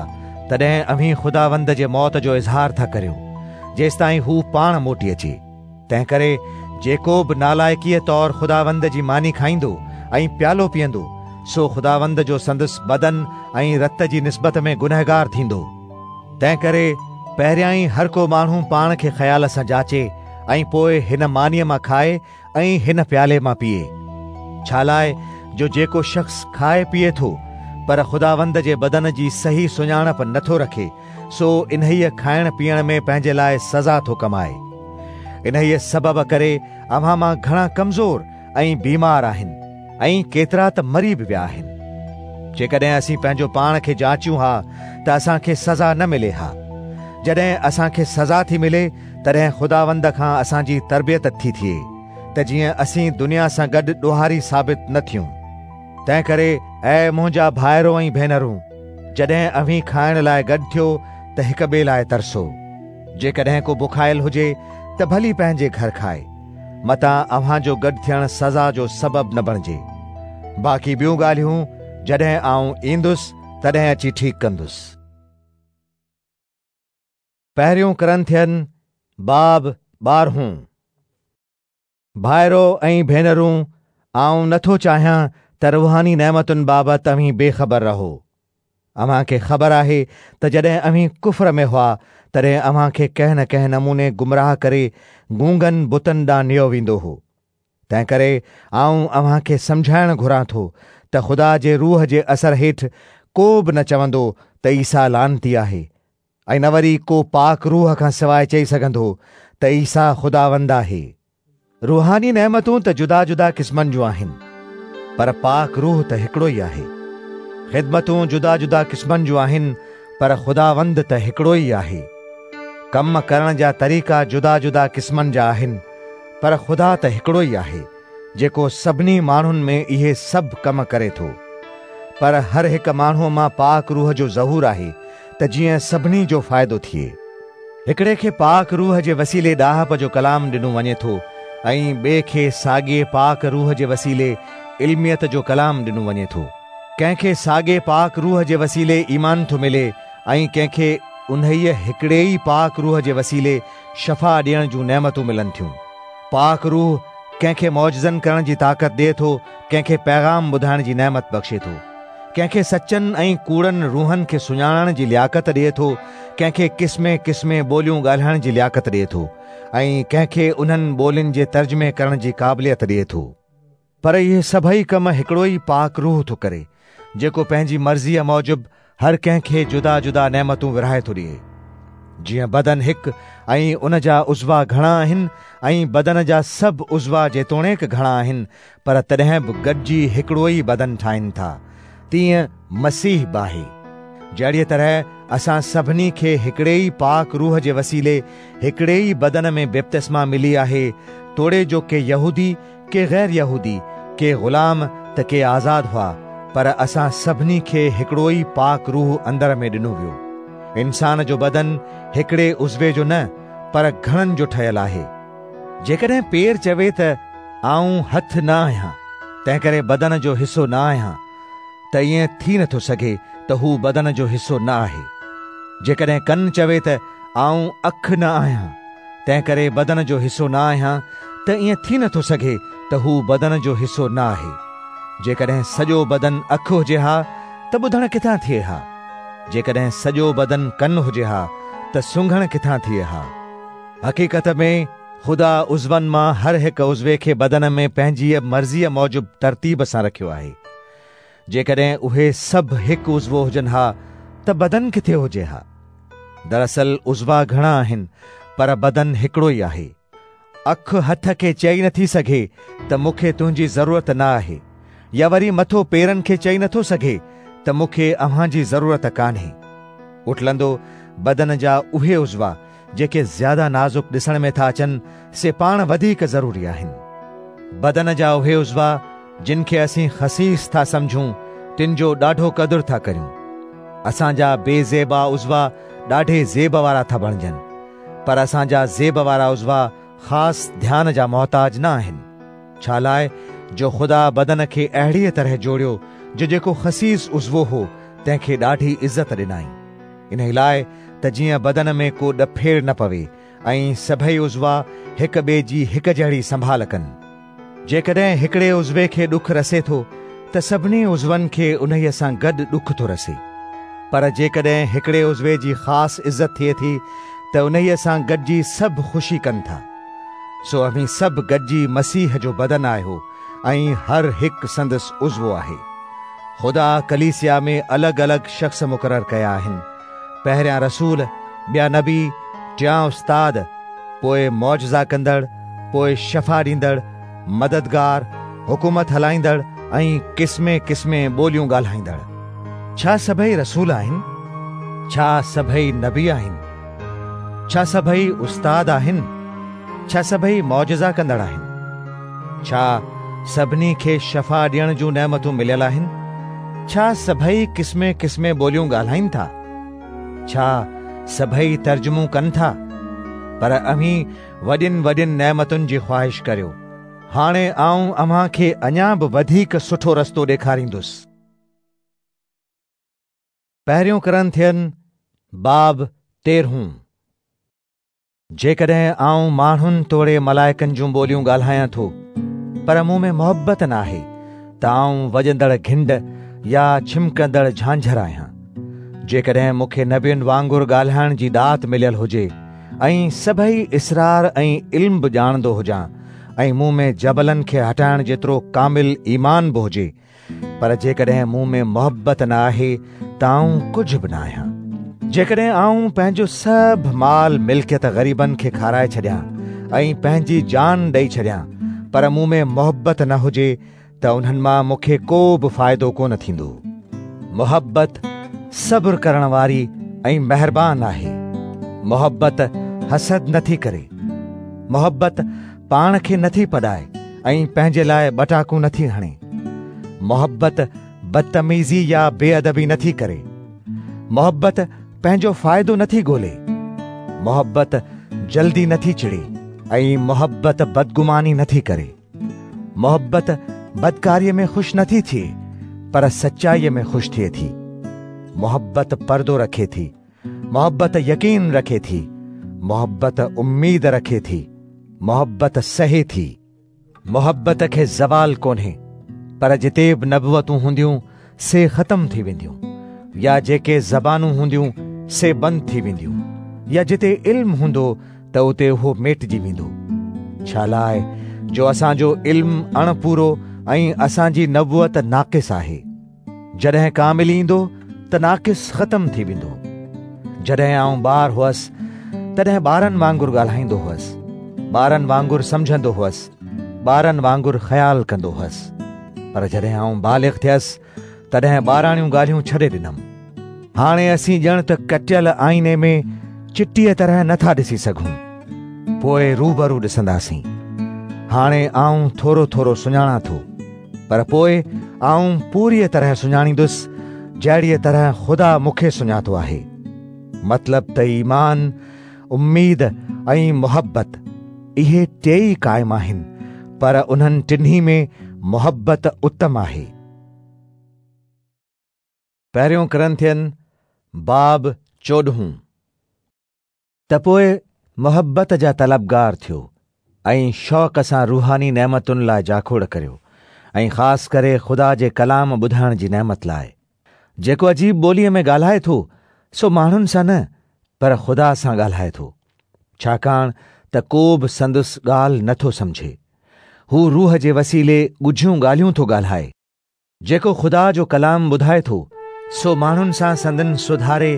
تڏهن اوهين خداوند جي موت جو اظهار ٿا ڪريو، جيستائين هو پاڻ موٽي اچي. تنهن ڪري جيڪو به نالائقيءَ طور خداوند جي ماني کائيندو ۽ پيالو پيئندو، سو خداوند جو سندس بدن ۽ رت جي نسبت ۾ گنهگار ٿيندو. تنهن ڪري پهريان ئي هر ڪو ماڻهو پاڻ کي خيال سان جاچي ۽ پوءِ هن مانيءَ مان کائي ۽ هن پيالي مان پيئي. ڇا لاءِ جو جيڪو شخص کائي پيئي ٿو پر خداوند جي بدن جي صحيح سڃاڻپ نٿو رکي، سو انهيءَ کائڻ پيئڻ ۾ پنهنجي لاءِ سزا ٿو ڪمائي. انهيءَ سبب ڪري اوهان مان گهڻا ڪمزور ۽ بيمار آهن ۽ ڪيترا ته مري به ويا آهن. جيڪڏهن اسين پنهنجو پاڻ کي جاچيون ها ته اسان کي سزا نه ملي ها. جڏهن اسان کي سزا ٿي ملي تڏهن خداوند کان اسان جي تربيت ٿي ٿئي ته جيئن اسين دنيا سان گڏ ڏوهاري ثابت نه ٿيون. تنهن ڪري اي منهنجا ڀائرو ۽ ڀينرون، جڏهن اوهين کائڻ لاءِ گڏ ٿيو ته هڪ ٻئي لاءِ ترسو. جيڪڏهن ڪو بکايل هجي ته ڀلي پنهنجي گهر کائي، متان اوهان جو گڏ ٿيڻ سزا جو سبب نه بڻجي. बाक़ी ॿियूं ॻाल्हियूं जॾहिं आउं ईंदुसि तॾहिं अची ठीकु कंदुसि। पहिरियों कुरिन्थियन बाब ॿारहों। भाइरो ऐं भेनरूं, आउं नथो चाहियां त रूहानी नेमतुनि बाबति अव्हीं बेख़बर रहो। अव्हां खे ख़बर आहे त जॾहिं अव्हीं कुफ्र में हुआ तॾहिं अव्हां खे कंहिं न कंहिं नमूने गुमराह करे गूंगनि बुतनि ॾांहुं नियो वेंदो हो। तंहिं करे आउं अव्हां खे सम्झाइणु घुरां थो त ख़ुदा जे रूह जे असर हेठि को बि न चवंदो त ईसा लानती आहे, ऐं न वरी को पाक रूह खां सवाइ चई सघंदो त ईसा ख़ुदावंद आहे। रूहानी नेमतूं त जुदा जुदा क़िस्मनि जूं आहिनि, पर पाक रूह त हिकिड़ो ई आहे। ख़िदमतूं जुदा जुदा क़िस्मनि जूं आहिनि, पर ख़ुदावंद त हिकिड़ो ई आहे। कम करण जा तरीक़ा जुदा जुदा क़िस्मनि जा आहिनि, पर ख़ुदा त हिकिड़ो ई आहे, जेको सभिनी माण्हुनि में इहे सभु कम करे थो। पर हर हिकु माण्हूअ मां पाक रूह जो ज़हूर आहे त जीअं सभिनी जो फ़ाइदो थिए। हिकिड़े खे पाक रूह जे वसीले ॾाहप जो कलाम ॾिनो वञे थो ऐं ॿिए खे साॻे पाक रूह जे वसीले इल्मियत जो कलाम ॾिनो वञे थो। कंहिंखे साॻे पाक रूह जे वसीले ईमान थो मिले ऐं कंहिंखे उन्हीअ हिकिड़े ई पाक रूह जे वसीले शफ़ा ॾियण जूं नेमतूं मिलनि थियूं। पाक रूह कंहिंखे मौजज़नि करण जी ताक़त ॾिए थो, कंहिंखे पैगाम ॿुधाइण जी नेमत बख़्शे थो, कंहिंखे सचनि ऐं कूड़नि रूहनि खे सुञाणण जी लियाकत ॾिए थो, कंहिंखे क़िस्मे क़िस्मे ॿोलियूं ॻाल्हाइण जी लियाकत ॾिए थो ऐं कंहिंखे उन्हनि ॿोलियुनि जे तर्जुमे करण जी क़ाबिलियत ॾिए थो। पर इहे सभई कम हिकिड़ो ई पाक रूह थो करे, जेको पंहिंजी मर्ज़ीअ मूजिबि हर कंहिंखे जुदा जुदा नेमतूं विरहाए थो ॾिए। जीअं बदन हिकु ऐं उन जा उज़वा घणा आहिनि ऐं बदन जा सभु उज़वा जेतोणीकि घणा आहिनि पर तॾहिं बि गॾिजी हिकिड़ो ई बदन ठाहिनि था, तीअं मसीह बि आहे। जहिड़ीअ तरह असां सभिनी खे हिकिड़े ई पाक रूह जे वसीले हिकिड़े ई बदन में बपतिस्मा मिली आहे, तोड़े जो के यहूदी के ग़ैर यहूदी, के ग़ुलाम त के आज़ाद हुआ, पर असां सभिनी खे हिकिड़ो ई पाक रूह अंदर में ॾिनो वियो। इंसान जो बदन हिकिड़े उज़वे जो न पर घणनि जो ठहियल आहे। जेकॾहिं पेर चवे त आउं हथ न आहियां, तंहिंकरे बदन जो हिसो न आहियां, त ईअं थी नथो सघे त हू बदन जो हिसो न आहे। जेकॾहिं कन चवे त आउं अख न आहियां, तंहिंकरे बदन जो हिसो न आहियां, त ईअं थी नथो सघे त हू बदन जो हिसो न आहे। जेकॾहिं सॼो बदन अख हुजे हा त ॿुधण किथां थिए हा? जेकॾहिं सॼो बदन कन हुजे हा त सुंघण किथां थिए हा? हक़ीक़त में ख़ुदा उज़वनि मां हर हिकु उज़वे खे बदन में पंहिंजी मर्ज़ीअ मूजिबि तरतीब सां रखियो आहे। जेकॾहिं उहे सभु हिकु उज़वो हुजनि हा त बदन किथे हुजे हा? दरअसल उज़वा घणा आहिनि पर बदन हिकिड़ो ई आहे। अख हथ खे चई नथी सघे त मूंखे तुंहिंजी ज़रूरत न आहे, या वरी मथो पेरनि खे चई नथो सघे त मूंखे अव्हां जी ज़रूरत कान्हे। उटलंदो बदन जा उहे उज़वा जेके ज़्यादा नाज़ुक ॾिसण में था अचनि से पाण वधीक ज़रूरी आहिनि। बदन जा उहे उज़वा जिन खे असीं ख़सीस था सम्झूं तिन जो ॾाढो क़दुरु था करियूं। असांजा बेज़ेबा उज़वा ॾाढे ज़ेब वारा था बणिजनि, पर असांजा ज़ेब वारा उज़वा ख़ासि ध्यान जा मोहताज न आहिनि। छा लाइ जो ख़ुदा बदन खे अहिड़ीअ तरह जोड़ियो जो जेको ख़सीस उज़वो हो तंहिंखे ॾाढी इज़त ॾिनाई, इन लाइ त जीअं बदन में को ॾफेड़ न पवे ऐं सभई उज़वा हिक ॿिए जी हिक जहिड़ी संभाल कनि। जेकॾहिं हिकिड़े उज़वे खे ॾुख रसे थो त सभिनी उज़वनि खे उन्हीअ सां गॾु ॾुख थो रसे, पर जेकॾहिं हिकिड़े उज़वे जी ख़ासि इज़त थिए थी त उन्हीअ सां गॾिजी सभु ख़ुशी कनि था। सो अव्हीं सभु गॾिजी मसीह जो बदन आहियो ऐं हर हिकु संदसि उज़वो आहे। ख़ुदा कलीसिया में अलॻि अलॻि शख़्स मुक़ररु कया आहिनि, पहिरियां रसूल, ॿिया नबी, टियां उस्ताद, पोइ मौजज़ा कंदड़, पोइ शफ़ा ॾींदड़, मददगार, हुकूमत हलाईंदड़ ऐं क़िस्मे क़िस्मे ॿोलियूं ॻाल्हाईंदड़। छा सभई रसूल आहिनि? छा सभई नबी आहिनि? छा सभई उस्ताद आहिनि? छा सभई मौजज़ा कंदड़ आहिनि? छा सभिनी खे शफ़ा ॾियण जूं नेमतूं मिलियल आहिनि? छा सभई क़िस्मे क़िस्मे ॿोलियूं ॻाल्हाइनि था? छा सभई तर्जुमो कनि था? पर अव्हीं वॾियुनि वॾियुनि नेमतुनि जी ख़्वाहिश करियो। हाणे आऊं अव्हां खे अञा बि वधीक सुठो रस्तो ॾेखारींदुसि। पहिरियों कुरिन्थियन बाब तेरहों। जेकॾहिं आऊं माण्हुनि तोड़े मलाइकनि जूं ॿोलियूं ॻाल्हायां थो पर मूं में मुहबत न आहे त आऊं वॼंदड़ घिंड या छिमकंदड़ झांझर आहियां। जेकॾहिं मूंखे नबियुनि वांगुरु ॻाल्हाइण जी ॾात मिलियल हुजे ऐं सभई इसरार ऐं इल्म बि ॼाणंदो हुजां ऐं मूं में जबलनि खे हटाइण जेतिरो कामिल ईमान बि हुजे, पर जेकॾहिं मूं में मुहबत न आहे त आऊं कुझु बि न आहियां। जेकॾहिं आऊं पंहिंजो सभु माल मिल्कियत ग़रीबनि खे खाराए छॾियां ऐं पंहिंजी जान ॾेई छॾियां, पर मूं में मुहबत न हुजे त उन्हनि मां मूंखे को बि फ़ाइदो कोन थींदो। मुहबत सब्र करण वारी ऐं महिरबान आहे। मुहबत हसद नथी करे। मुहबत पाण खे नथी पॾाए ऐं पंहिंजे लाइ ॿटाकूं नथी हणे। मुहबत बदतमीज़ी या बेअदबी नथी करे। मुहबत पंहिंजो फ़ाइदो नथी ॻोल्हे। मुहबत जल्दी नथी चिड़े ऐं मुहबत बदगुमानी नथी करे। मुहबत बदकारीअ में ख़ुशि नथी थिए पर सचाईअ में ख़ुशि थिए थी। मुहबत पर्दो रखे थी। मुहबत यकीन रखे थी। मुहबत उम्मीद रखे थी। मुहबत सहे थी। मुहबत खे ज़वाल कोन्हे, पर जिते बि नबुवतूं हूंदियूं से ख़त्म थी वेंदियूं, या जेके ज़बानूं हूंदियूं से बंदि थी वेंदियूं, या जिते इल्म हूंदो त उते उहो मेटिजी वेंदो। छा लाइ जो असांजो इल्म अणपूरो ऐं असांजी नबुवत नाक़िस आहे। जॾहिं कामिल ईंदो त नाक़िस ख़त्म थी वेंदो। जॾहिं आऊं ॿार हुअसि तॾहिं ॿारनि वांगुरु ॻाल्हाईंदो हुअसि, ॿारनि वांगुरु सम्झंदो हुअसि, ॿारनि वांगुरु ख़्याल कंदो हुअसि, पर जॾहिं आऊं बालिग़ थियसि तॾहिं ॿाराणियूं ॻाल्हियूं छॾे ॾिनमि। हाणे असीं ॼण त कटियल आईने में चिटीअ तरह नथा ॾिसी सघूं, पोइ रूबरू ॾिसंदासीं। हाणे आऊं थोरो थोरो सुञाणां थो, पर पोइ आऊं पूरीअ तरह सुञाणींदुसि जहिड़ीअ तरह ख़ुदा मूंखे सुञातो आहे। मतिलब त ईमान, उम्मीद ऐं मुहबत इहे टेई क़ाइम आहिनि, पर उन्हनि टिन्ही में मुहबत उत्तम आहे। पहिरियों कुरिन्थियन बाब चोॾहों। त पोइ मुहबत जा तलबगार थियो ऐं शौक़ सां रूहानी नेमतुनि लाइ जाखोड़ करियो, ऐं ख़ासि करे ख़ुदा जे कलाम ॿुधाइण जी नेमत लाइ। जेको अजीब ॿोलीअ में ॻाल्हाए थो सो माण्हुनि सां न पर ख़ुदा सां ॻाल्हाए थो, छाकाणि त को बि संदसि ॻाल्हि नथो सम्झे। हू रूह जे वसीले ॻुझियूं ॻाल्हियूं थो ॻाल्हाए। जेको ख़ुदा जो कलाम ॿुधाए थो सो माण्हुनि सां संदन सुधारे,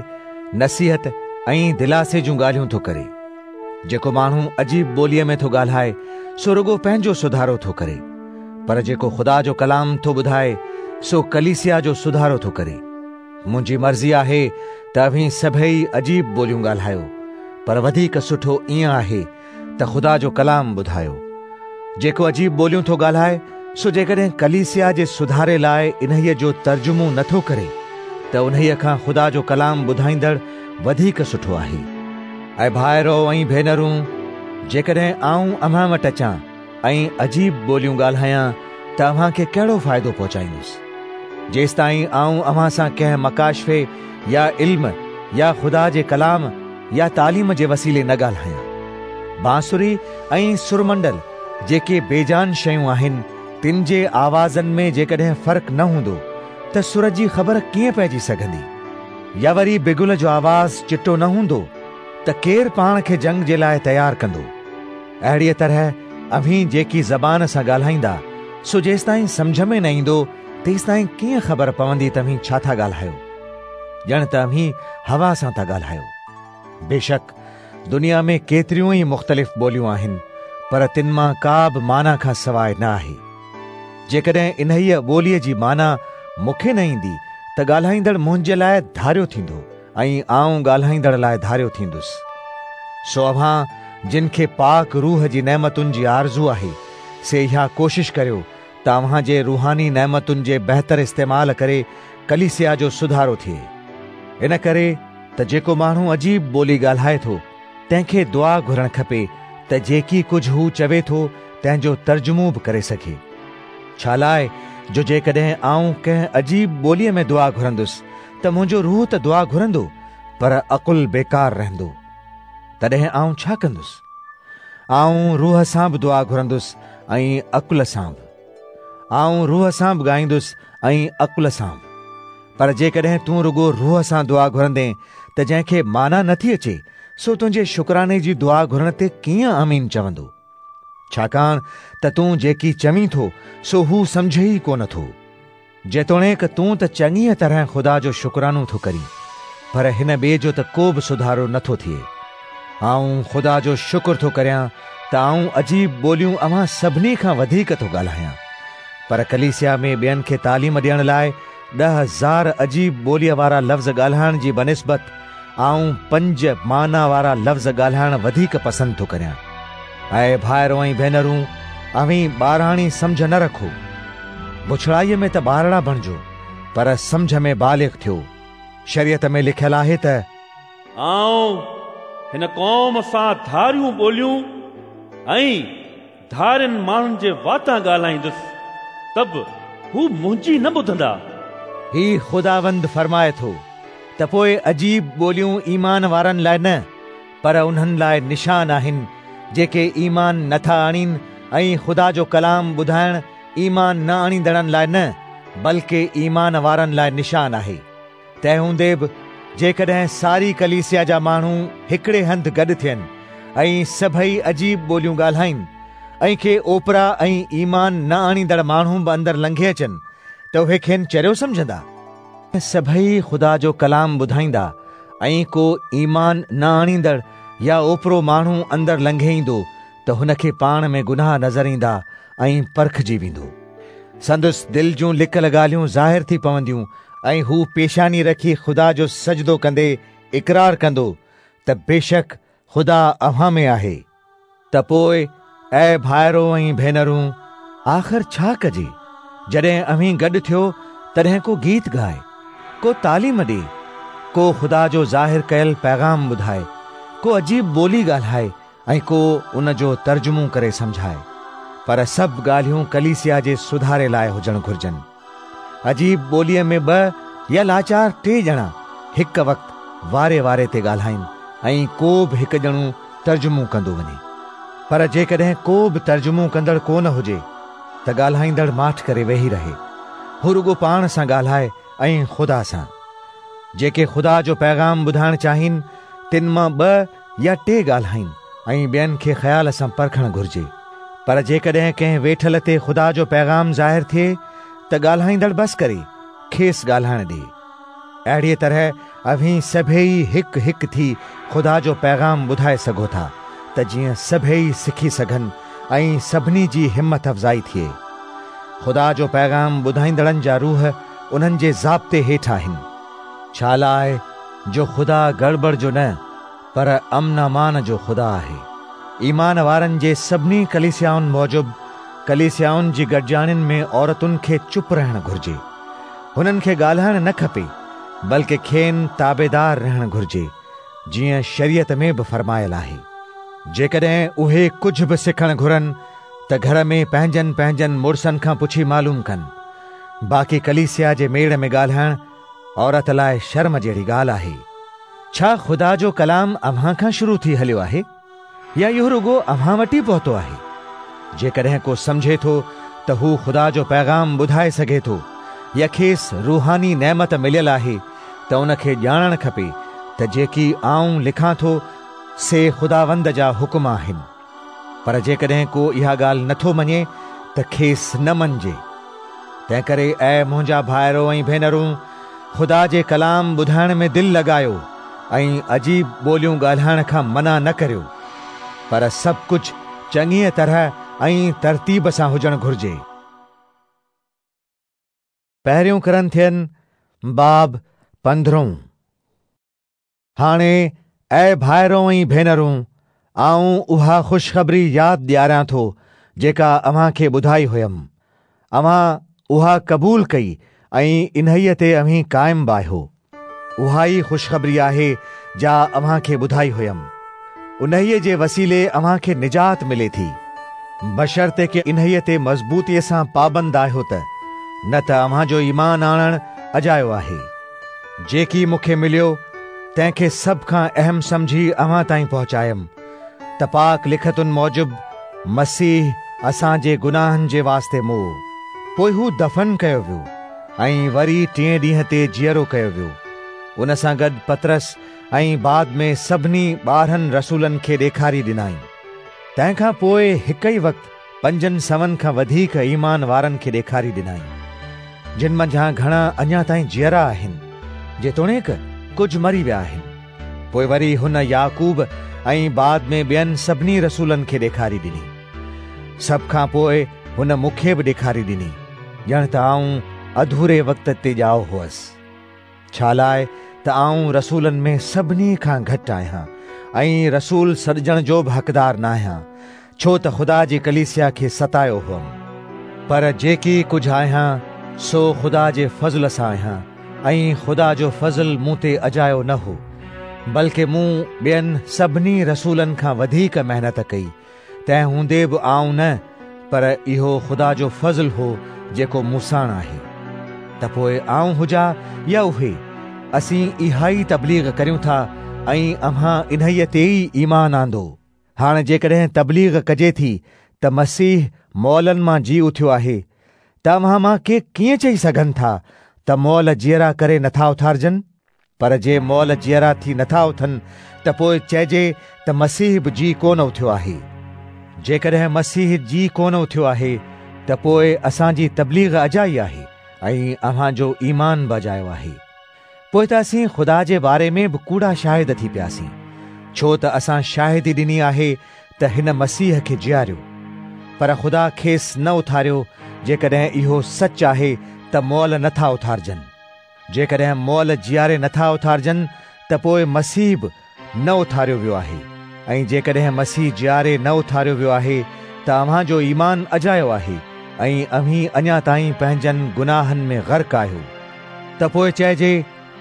नसीहत ऐं दिलासे जूं ॻाल्हियूं थो करे। जेको माण्हू अजीब ॿोलीअ में थो ॻाल्हाए सो रुगो पंहिंजो सुधारो थो करे, पर जेको ख़ुदा जो कलाम थो ॿुधाए सो कलीसिया जो सुधारो थो करे। मुंहिंजी मर्ज़ी आहे त अव्हीं सभई अजीब ॿोलियूं ॻाल्हायो, पर वधीक सुठो ईअं आहे त ख़ुदा जो कलाम ॿुधायो। जेको अजीब ॿोलियूं थो ॻाल्हाए सो जेकॾहिं कलीसिया जे सुधारे लाइ इन्हीअ जो तर्जुमो नथो करे त उन्हीअ खां ख़ुदा जो कलाम ॿुधाईंदड़ वधीक सुठो आहे। ऐं भाइरो ऐं भेनरूं, जेकॾहिं आऊं अव्हां वटि अचां ऐं अजीब ॿोलियूं ॻाल्हायां त अव्हां खे कहिड़ो फ़ाइदो पहुचाईंदुसि? जेसिताईं आऊं अव्हां सां कंहिं मकाशफ़े या इल्म या ख़ुदा जे कलाम या तालीम जे वसीले न ॻाल्हायां। बांसुरी ऐं सुरमंडल जेके बेजान शयूं आहिनि तिन जे आवाज़नि में जेकॾहिं फ़र्क़ु न हूंदो त सुर जी ख़बर कीअं पइजी सघंदी? या वरी बिगुल जो आवाज़ चिटो न हूंदो त केरु पाण खे जंग जे लाइ तयारु कंदो? अहिड़ीअ तरह अव्हीं जेकी ज़बान सां ॻाल्हाईंदा सो जेसिताईं सम्झ में न ईंदो तेसिताईं कीअं ख़बर पवंदी त अव्हीं छा था ॻाल्हायो? ॼण त अव्हीं हवा सां था ॻाल्हायो। बेशक दुनिया में केतिरियूं ई मुख़्तलिफ़ ॿोलियूं आहिनि, पर तिन मां का बि माना खां सवाइ न आहे। जेकॾहिं इन्हीअ ॿोलीअ जी माना मूंखे न ईंदी त ॻाल्हाईंदड़ मुंहिंजे लाइ धारियो थींदो ऐं आऊं ॻाल्हाईंदड़ लाइ धारियो थींदुसि। सो अव्हां जिन खे पाक रूह जी नेमतुनि जी आरज़ू आहे से इहा कोशिशि करियो त अव्हां जे रूहानी नेमतुनि जे बहितर इस्तेमाल करे कलीसिया जो सुधारो थिए। इन करे त जेको माण्हू अजीब ॿोली ॻाल्हाए थो तंहिंखे दुआ घुरणु खपे त जेकी कुझु हू चवे थो तंहिंजो तर्जुमो बि करे सघे। छा लाइ जो जेकॾहिं आउं कंहिं अजीब ॿोलीअ में दुआ घुरंदुसि त मुंहिंजो रूह त दुआ घुरंदो, पर अकुल बेकार रहंदो। तॾहिं आउं छा कंदुसि? आउं रूह सां बि दुआ घुरंदुसि ऐं अकुल सां बि। आउं रूह सां बि ॻाईंदुसि ऐं अकुल सां बि। पर जेकॾहिं तूं रुगो रूह सां दुआ घुरंदे त जंहिंखे माना नथी अचे सो तुंहिंजे शुक्राने जी दुआ घुरण ते कीअं आमीन चवंदो? छाकाणि त तूं जेकी चवीं थो सो हू सम्झे ई कोन थो। जेतोणीकि तूं त चङीअ तरह ख़ुदा जो शुक्रानो थो करीं, पर हिन ॿिए जो त को बि सुधारो नथो थिए। आउं ख़ुदा जो शुक्र थो करियां त आउं अजीब ॿोलियूं अव्हां सभिनी खां वधीक थो ॻाल्हायां, पर कलीसिया में ॿियनि खे तालीम ॾियण लाइ ॾह हज़ार अजीब ॿोलीअ वारा लफ़्ज़ ॻाल्हाइण जी बनिस्बत आउं पंज माना वारा लफ़्ज़ ॻाल्हाइण वधीक पसंदि थो करियां। ऐं भाइरो ऐं भेनरूं, अव्हीं ॿाराणी सम्झ न रखो। बुछड़ाईअ में त ॿारड़ा बणिजो, पर सम्झ में बालिग थियो। शरीयत में लिखियल आहे त आउं हिन क़ौम सां धारियूं ॿोलियूं ऐं धारियनि माण्हुनि जे वातां ॻाल्हाईंदुसि, त बि हू मुंहिंजी न ॿुधंदा। ही ख़ुदावंद फरमाए थो त पोइ अजीब ॿोलियूं ईमान वारनि लाइ न, पर उन्हनि लाइ निशान आहिनि जेके ईमान नथा आणीनि, ऐं ख़ुदा जो कलाम ॿुधाइण ईमान न आणींदड़नि लाइ न, बल्कि ईमान वारनि लाइ निशान आहे। तंहिं हूंदे बि जेकॾहिं सारी कलीसिया जा माण्हू हिकिड़े हंधि गॾु थियनि ऐं सभई अजीब ॿोलियूं ॻाल्हाइनि ऐं के ओपरा ऐं ईमान न आणींदड़ माण्हू बि अंदरि लंघे अचनि, त उहे खेनि चरियो सम्झंदा। सभई ख़ुदा जो कलाम ॿुधाईंदा ऐं को ईमान न आणींदड़ या ओपरो माण्हू अंदरि लंघे ईंदो त हुनखे पाण में गुनाह नज़र ईंदा ऐं परखिजी वेंदो। संदसि दिलि जूं लिकल ॻाल्हियूं ज़ाहिर थी पवंदियूं ऐं हू पेशानी रखी ख़ुदा जो सजदो कंदे इकरार कंदो त बेशक ख़ुदा अव्हां में आहे। त पोइ ऐं भाइरो ऐं भेनरूं, आख़िर छा कजे? जॾहिं अव्हीं गॾु थियो तॾहिं को गीत ॻाए, को तालीम ॾे, को ख़ुदा जो ज़ाहिर कयल पैगाम ॿुधाए, को अजीब ॿोली ॻाल्हाए ऐं को उन जो तर्जुमो करे सम्झाए। पर सभु ॻाल्हियूं कलीसिया जे सुधारे लाइ हुजणु घुर्जनि। अजीब ॿोलीअ में ॿ या लाचार टे ॼणा हिकु वक़्तु वारे वारे ते ॻाल्हाइनि ऐं को बि हिकु ॼणो तर्जुमो कंदो वञे। पर जेकॾहिं को बि तर्जुमो कंदड़ कोन हुजे त ॻाल्हाईंदड़ माठ करे वेही रहे, हू रुगो पाण सां ॻाल्हाए ऐं ख़ुदा सां। जेके ख़ुदा जो पैगाम ॿुधाइणु चाहिनि तिन मां ॿ या टे ॻाल्हाइनि ऐं ॿियनि खे ख़्याल सां परखणु घुर्जे। पर जेकॾहिं कंहिं वेठल ते ख़ुदा जो पैगाम ज़ाहिर थिए त ॻाल्हाईंदड़ बसि करे खेसि ॻाल्हाइण ॾे। अहिड़ीअ तरह अव्हीं सभई हिकु हिकु थी ख़ुदा जो पैगाम ॿुधाए सघो था, त जीअं सभई सिखी सघनि ऐं सभिनी जी हिमत अफ़ज़ाई थिए। ख़ुदा जो पैगाम ॿुधाईंदड़नि जा रूह उन्हनि जे ज़ाब्ते हेठि आहिनि, छा लाइ जो ख़ुदा गड़बड़ जो न पर अमन अमान जो ख़ुदा आहे। ईमान वारनि जे सभिनी कलीसियाउनि मूजिबि कलीसियाउनि जी गॾिजाणियुनि में औरतुनि खे चुप रहणु घुर्जे। हुननि खे ॻाल्हाइणु न खपे, बल्कि खेनि ताबेदार रहणु घुर्जे, जीअं शरीयत में बि फरमायल आहे। जेकॾहिं उहे कुझु बि सिखणु घुरनि त घर में पंहिंजनि पंहिंजनि मुड़ुसनि खां पुछी मालूम कनि। बाक़ी कलीसिया जे मेड़ में ॻाल्हाइणु औरत लाइ शर्म जहिड़ी ॻाल्हि आहे। छा ख़ुदा जो कलाम अव्हां खां शुरू थी हलियो आहे या इहो रुगो अव्हां वटि ई पहुतो आहे? जेकॾहिं को सम्झे थो त हू ख़ुदा जो पैगाम ॿुधाए सघे थो या खेसि रूहानी नेमत मिलियल आहे त उनखे ॼाणणु खपे त जेकी आउं लिखां थो से ख़ुदावंद जा हुकुम आहिनि। पर जेकॾहिं को इहा ॻाल्हि नथो मञे त खेसि न मञिजे। तंहिंकरे ऐं मुंहिंजा भाइरो ऐं भेनरूं, ख़ुदा जे कलाम ॿुधाइण में दिलि लॻायो ऐं अजीब ॿोलियूं ॻाल्हाइण खां मना न करियो, पर सभु कुझु चङीअ तरह ऐं तरतीब सां हुजणु घुर्जे। पहिरियों कुरिन्थियन बाब पंद्रहों। हाणे ऐं भाइरो ऐं भेनरूं, आउं उहा ख़ुशख़बरी यादि ॾियारियां थो जेका अव्हां खे ॿुधाई हुयमि। अव्हां उहा क़बूल कई ऐं इन्हीअ ते अव्हीं क़ाइम बि आहियो। उहा ई ख़ुशख़बरी आहे जा अव्हां खे ॿुधाई हुयमि। उन्हीअ जे वसीले अव्हां खे निजात मिले थी, بشرطيڪ انهيء تي مضبوطيء سان پابند آهيو ته نه ته اوهان جو ايمان آڻڻ اجايو آهي. جيڪي مون کي مليو تنهن کي سڀ کان اهم سمجهي اوهان تائين پهچايم ته پاڪ لکتن موجب مسيح اسان جي گناهن جي واسطي مئو، پوءِ هو دفن ڪيو ويو ۽ وري ٽئين ڏينهن تي جيئرو ڪيو ويو. ان سان گڏ پطرس ۽ بعد ۾ سڀني ٻارهن رسولن کي ڏيکاري ڏنائين. تنهن کان پوءِ هڪ ئي وقت پنجن سون کان وڌيڪ ايمان وارن کي ڏيکاري ڏنائين، جن منجهان گهڻا اڃا تائين جيئرا آهن، جيتوڻيڪ ڪجهه مري ويا آهن. پوءِ وري هن يعقوب ۽ بعد ۾ ٻين سڀني رسولن کي ڏيکاري ڏني. سڀ کان پوءِ هن مون کي به ڏيکاري ڏني، ڄڻ ته آئون اڌوري وقت تي ڄائو هئس. ڇا لاءِ ته آئون رسولن ۾ سڀني کان گهٽ آهيان ۽ رسول سڏجڻ جو به حقدار نه آهيان، ڇو ته خدا جي ڪليسيا کي ستايو هئم. پر جيڪي ڪجهه آهيان سو خدا جي فضل سان آهيان ۽ خدا جو فضل مون تي اجايو نه هو، بلڪه مون ٻين سڀني رسولن کان وڌيڪ محنت ڪئي. تنهن هوندي به آئون نه، پر اهو خدا جو فضل هو جيڪو مون ساڻ آهي. ته پوءِ آئون هجان يا اهي، اسين اها ئي تبليغ ڪريون ٿا ۽ اوهان انهيءَ تي ئي ايمان آندو. هاڻي جيڪڏهن تبليغ ڪجي ٿي ته مسيح مئلن مان جي اٿيو آهي، ته اوهان مان ڪي ڪيئن چئي سگهن ٿا ته مئل جيئرا ڪري نٿا اٿارجن؟ پر جي مئل جيئرا ٿي نٿا اٿن ته پوءِ چئجي ته مسيح به جي ڪونه اٿيو آهي. جيڪڏهن مسيح جي ڪونه اٿيو آهي ته پوءِ اسان جي تبليغ اجائي آهي ۽ اوهان جو ايمان به اجايو آهي. پوءِ ته اسين خدا جي باري ۾ به ڪوڙا شاهد ٿي پياسين، ڇو ته اسان شاهدي ڏني آهي ته هن مسيح کي جياريو، پر خدا کيس نه اٿاريو. جيڪڏهن اهو سچ آهي ته مئل نٿا اٿارجن، جيڪڏهن مئل جياري نٿا اٿارجن ته پوءِ مسيح به نه اٿاريو ويو آهي، ۽ جيڪڏهن مسيح جياري نه اٿاريو ويو آهي ته اوهان جو ايمان اجايو آهي ۽ اوهين اڃا تائين پنهنجن گناهن ۾ غرق آهيو. ته پوءِ چئجي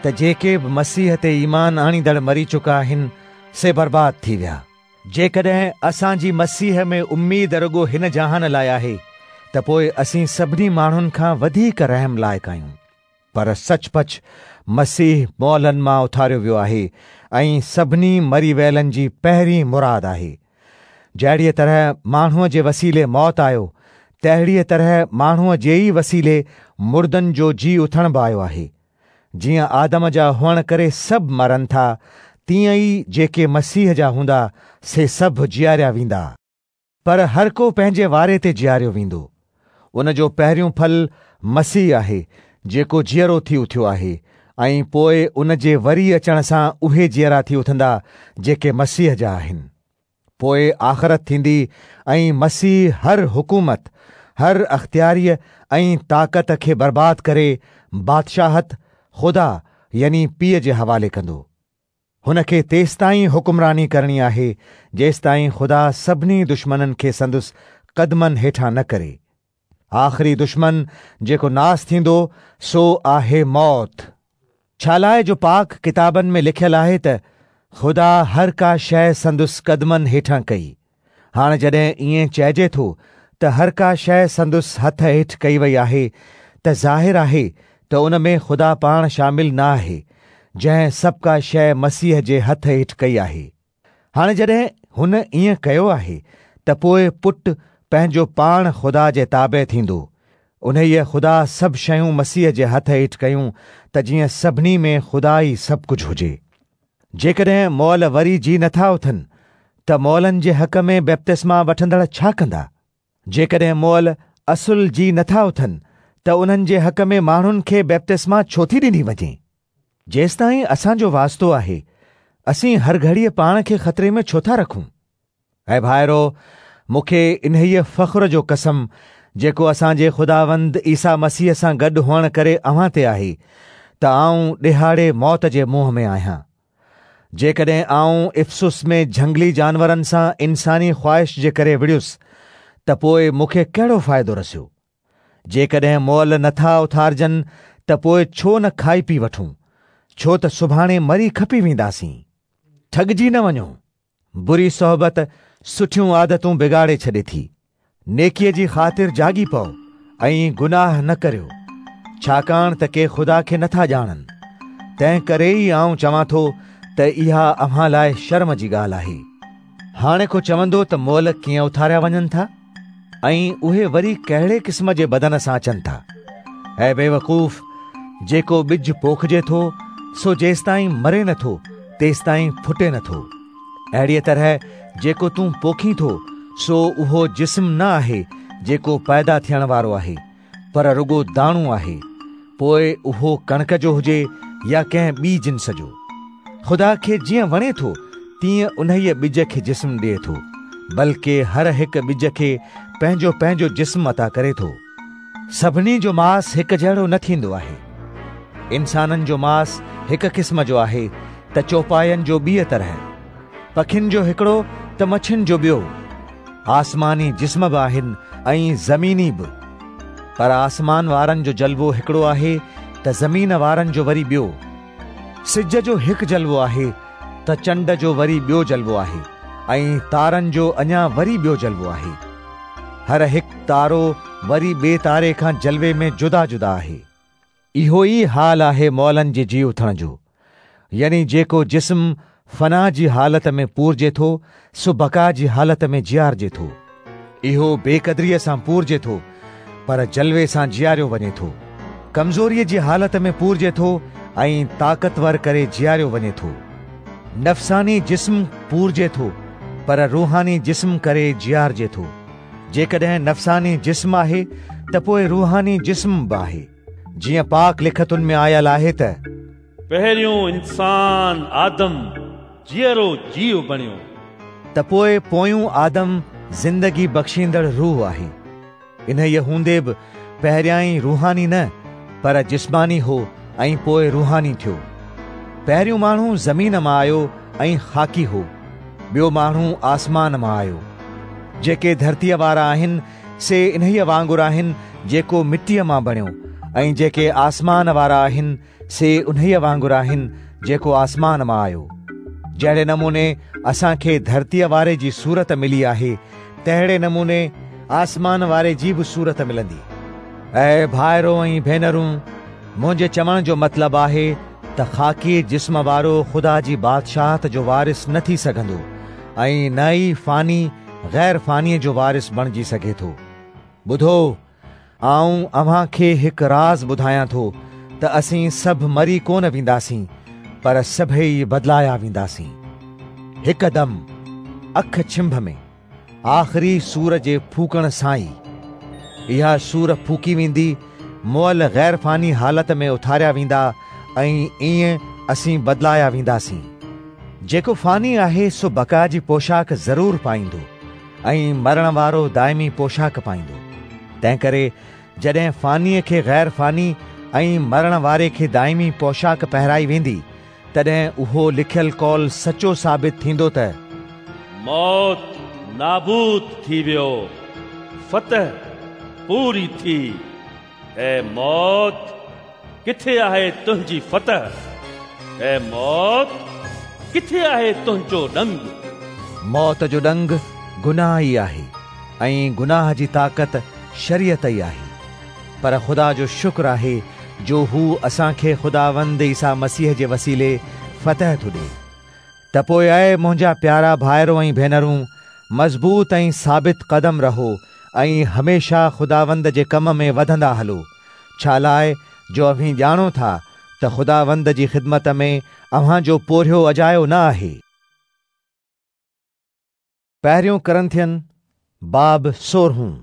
ته جيڪي به مسيح تي ايمان آڻيندڙ مري چڪا آهن سي برباد ٿي ويا. جيڪڏهن اسان جي مسيح ۾ اميد رڳو هن جهان لاءِ آهي ته پوءِ اسين سڀني ماڻهن کان وڌيڪ رحم لائق آهيون. پر سچ پچ مسيح مئلن مان اٿاريو ويو آهي ۽ سڀني مري ويلن جي پهرين مراد آهي. جهڙيءَ طرح ماڻهوءَ جي وسيلي موت آيو، تهڙيءَ طرح ماڻهوءَ جي ئي وسيلي مردن جو جي اٿڻ به آيو آهي. جيئن آدم جا هئڻ ڪري سڀ مرن ٿا، تيئن ئي جيڪي مسيح جا هوندا سي سڀ جياريا ويندا. پر هر ڪو پنهنجي واري تي جياريو ويندو. ان جو پهريون ڦل مسيح آهي جيڪو جيئرو ٿي اٿيو آهي، ۽ پوءِ ان جي وري اچڻ سان اهي جيئرا ٿي اٿندا جيڪي مسيح جا آهن. پوءِ آخرت ٿيندي ۽ مسيح هر حڪومت، هر اختياريءَ ۽ طاقت کي برباد ڪري بادشاهت خدا يعني پيءُ جي حوالي ڪندو. هن کي تيستائين حڪمراني ڪرڻي آهي جيستائين خدا سڀني دشمنن کي سندس قدمن هيٺان نه ڪري. آخري دشمن جيڪو ناس ٿيندو سو آهي موت. ڇا لاءِ جو پاڪ ڪتابن ۾ لکيل آهي ته خدا هر ڪا شيءِ سندس قدمن هيٺان ڪئي. هاڻي جڏهن ائين چئجي ٿو ته هر ڪا شيءِ سندس هٿ هيٺ ڪئي وئي آهي ته ظاهر آهي ته ان ۾ خدا پاڻ شامل نه آهي، جنهن سڀ ڪا شيءِ مسيح جي هٿ هيٺ ڪئي آهي. هاڻي جڏهن هن ائين ڪيو آهي ته پوءِ پٽ پنهنجو پاڻ خدا جي تابع ٿيندو. انهيءَ خدا سڀ شيون مسيح جي هٿ هيٺ ڪيون ته جيئن سڀني ۾ خدا ئي سڀ ڪجهه هجي. جيڪڏهن مئل وري جي نٿا اٿن ته مئلن جي حق ۾ بپتسما وٺندڙ ڇا ڪندا؟ جيڪڏهن مئل اصل جي نٿا اٿن ته انهن جي حق ۾ ماڻهن کي بپتسما ڇو ٿي ڏني وڃي؟ جيستائين اسان جو واسطو آهي، اسين هر گهڙيءَ پاڻ کي خطري ۾ ڇو ٿا رکون؟ ۽ ڀائرو، مون کي انهيءَ فخر جو قسم جيڪو اسان جي خداوند عيسيٰ مسيح سان گڏ هئڻ ڪري اوهان تي آهي ته آئون ڏهاڙي موت جي منهن ۾ آهيان. جيڪڏهن آئون افسس ۾ جهنگلي جانورن سان انساني خواهش جي ڪري وڙهيس ته پوءِ مون کي ڪهڙو فائدو رسيو؟ جيڪڏهن مئل نٿا اٿارجن ته پوءِ ڇو نه کائي پي وٺون؟ ڇو ته سڀاڻي مري کپي وينداسين. ٺڳجي نه وڃو، بري صحبت سٺيون عادتون بگاڙي ڇڏي ٿي. نيڪيءَ جي خاطر جاڳي پئو ۽ گناهه نه ڪريو، ڇاڪاڻ ته ڪي خدا کي نٿا ڄاڻن. تنهن ڪري ئي آئون چوان ٿو ته اها اوهان لاءِ شرم جي ڳالهه آهي. هاڻي ڪو چوندو ته مئل ڪيئن اٿاريا وڃن ٿا ۽ اهي وري ڪهڙي قسم جي بدن سان اچن ٿا؟ اي بيوقوف، جيڪو ٻج پوکجي ٿو سو جيستائين مري نٿو تيستائين ڦٽي نٿو. اهڙيءَ طرح جيڪو تون پوکين ٿو سو اهو جسم نه آهي جيڪو پيدا ٿيڻ وارو آهي، پر رڳو داڻو آهي. پوءِ اهو ڪڻڪ جو هجي يا ڪنهن ٻي جنس جو، خدا کي جيئن وڻي ٿو تيئن انهيءَ ٻج کي جسم ڏئي ٿو، بلڪه هر هڪ ٻج کي پنهنجو پنهنجو جسم عطا ڪري ٿو. سڀني جو ماس هڪ جهڙو نه ٿيندو آهي. انسانن جو ماس هڪ قسم جو آهي ته چوپاين جو ٻيءَ طرح، پکين جو هڪڙو ته مڇين جو ٻيو. آسماني جسم به آهن ۽ زميني به، پر آسمان وارن جو جلوو هڪڙو آهي ته زمين وارن جو وري ٻيو. سج جو هڪ جلوو آهي ته چنڊ جو وري ٻيو جلوو آهي ۽ تارن جو اڃا وري ٻيو جلوو آهي. هر هڪ تارو وري ٻئي تاري کان جلوي ۾ جدا جدا آهي. اهو ئي حال آهي مئلن جي جي اٿڻ جو، يعني جيڪو جسم فنا جي حالت ۾ پورجي ٿو سو بقا جي حالت ۾ جيارجي ٿو. اهو بيقدريءَ سان پورجي ٿو پر جلوي سان جياريو وڃي ٿو. ڪمزوريءَ جي حالت ۾ پورجي ٿو ۽ طاقتور ڪري جياريو وڃي ٿو. نفساني جسم پورجي ٿو پر روحاني جسم ڪري جيارجي ٿو. جيڪڏهن نفساني جسم آهي ته پوءِ روحاني جسم به آهي. جيئن پاڪ لکتن ۾ آيل آهي ته پهريون انسان آدم جيئرو جيو بڻيو، ته پوءِ پويون آدم زندگي بخشيندڙ روح آهي. انهيءَ هوندي به پهريائين روحاني نه پر جسماني هو ۽ پوءِ روحاني ٿيو. پهريون ماڻهو زمين مان آيو ۽ خاڪي هو، ٻيو ماڻهو آسمان مان آيو. جيڪي ڌرتيءَ وارا آهن سي انهيءَ وانگر آهن جيڪو مٽيءَ مان بڻيو، ۽ جيڪي آسمان وارا آهن سي انهيءَ وانگر آهن جيڪو آسمان مان آيو. جهڙي نموني اسان کي ڌرتيءَ واري جي صورت ملي آهي تهڙي نموني آسمان واري جي به صورت ملندي. اي ڀائرو ۽ ڀينرون، منهنجي چوڻ جو مطلب آهي ته خاڪي جسم وارو خدا جي بادشاهت جو وارث نه ٿي سگهندو ۽ نه ئي فاني غير فانيءَ جو وارث بڻجي سگهي ٿو. ٻڌو، آئون اوهان کي هڪ راز ٻڌايان ٿو ته اسين سڀ مري ڪونه وينداسين پر سڀئي بدلايا وينداسين. هڪدم اک ڇنڀ ۾ آخري سور جي ڦوڪڻ سان ئي اها سور ڦوڪي ويندي، مئل غير فاني حالت ۾ اٿاريا ويندا ۽ ائين اسين بدلايا وينداسين. جيڪو فاني آهي سو بقا جي پوشاڪ ضرور پائيندو ۽ مرڻ وارو دائمي پوشاڪ پائيندو. تنهن ڪري جڏهن فانيءَ کي غير فاني ۽ مرڻ واري کي دائمي پوشاڪ پهرائي ويندي تڏهن اهو لکيل قول سچو ثابت ٿيندو ته موت نابود ٿي ويو، فتح پوري ٿي. اي موت، ڪٿي آهي تنهنجي فتح؟ اي موت، ڪٿي آهي تنهنجو ڏنگ؟ موت جو ڏنگ گناهه ئي آهي ۽ گناهه جي طاقت شريعت ئي آهي. پر خدا جو شڪر آهي جو هو اسان کي خداوند عيسيٰ مسيح جي وسيلي فتح ٿو ڏئي. ته پوءِ اي منهنجا پيارا ڀائرو ۽ ڀينرون، مضبوط ۽ ثابت قدم رهو ۽ هميشه خداوند جي ڪم ۾ وڌندا هلو، ڇا لاءِ جو اوهين ڄاڻو ٿا ته خداوند جي خدمت ۾ اوهان جو پورهيو اجايو نه آهي. پهريون ڪرنٿين باب سورهون.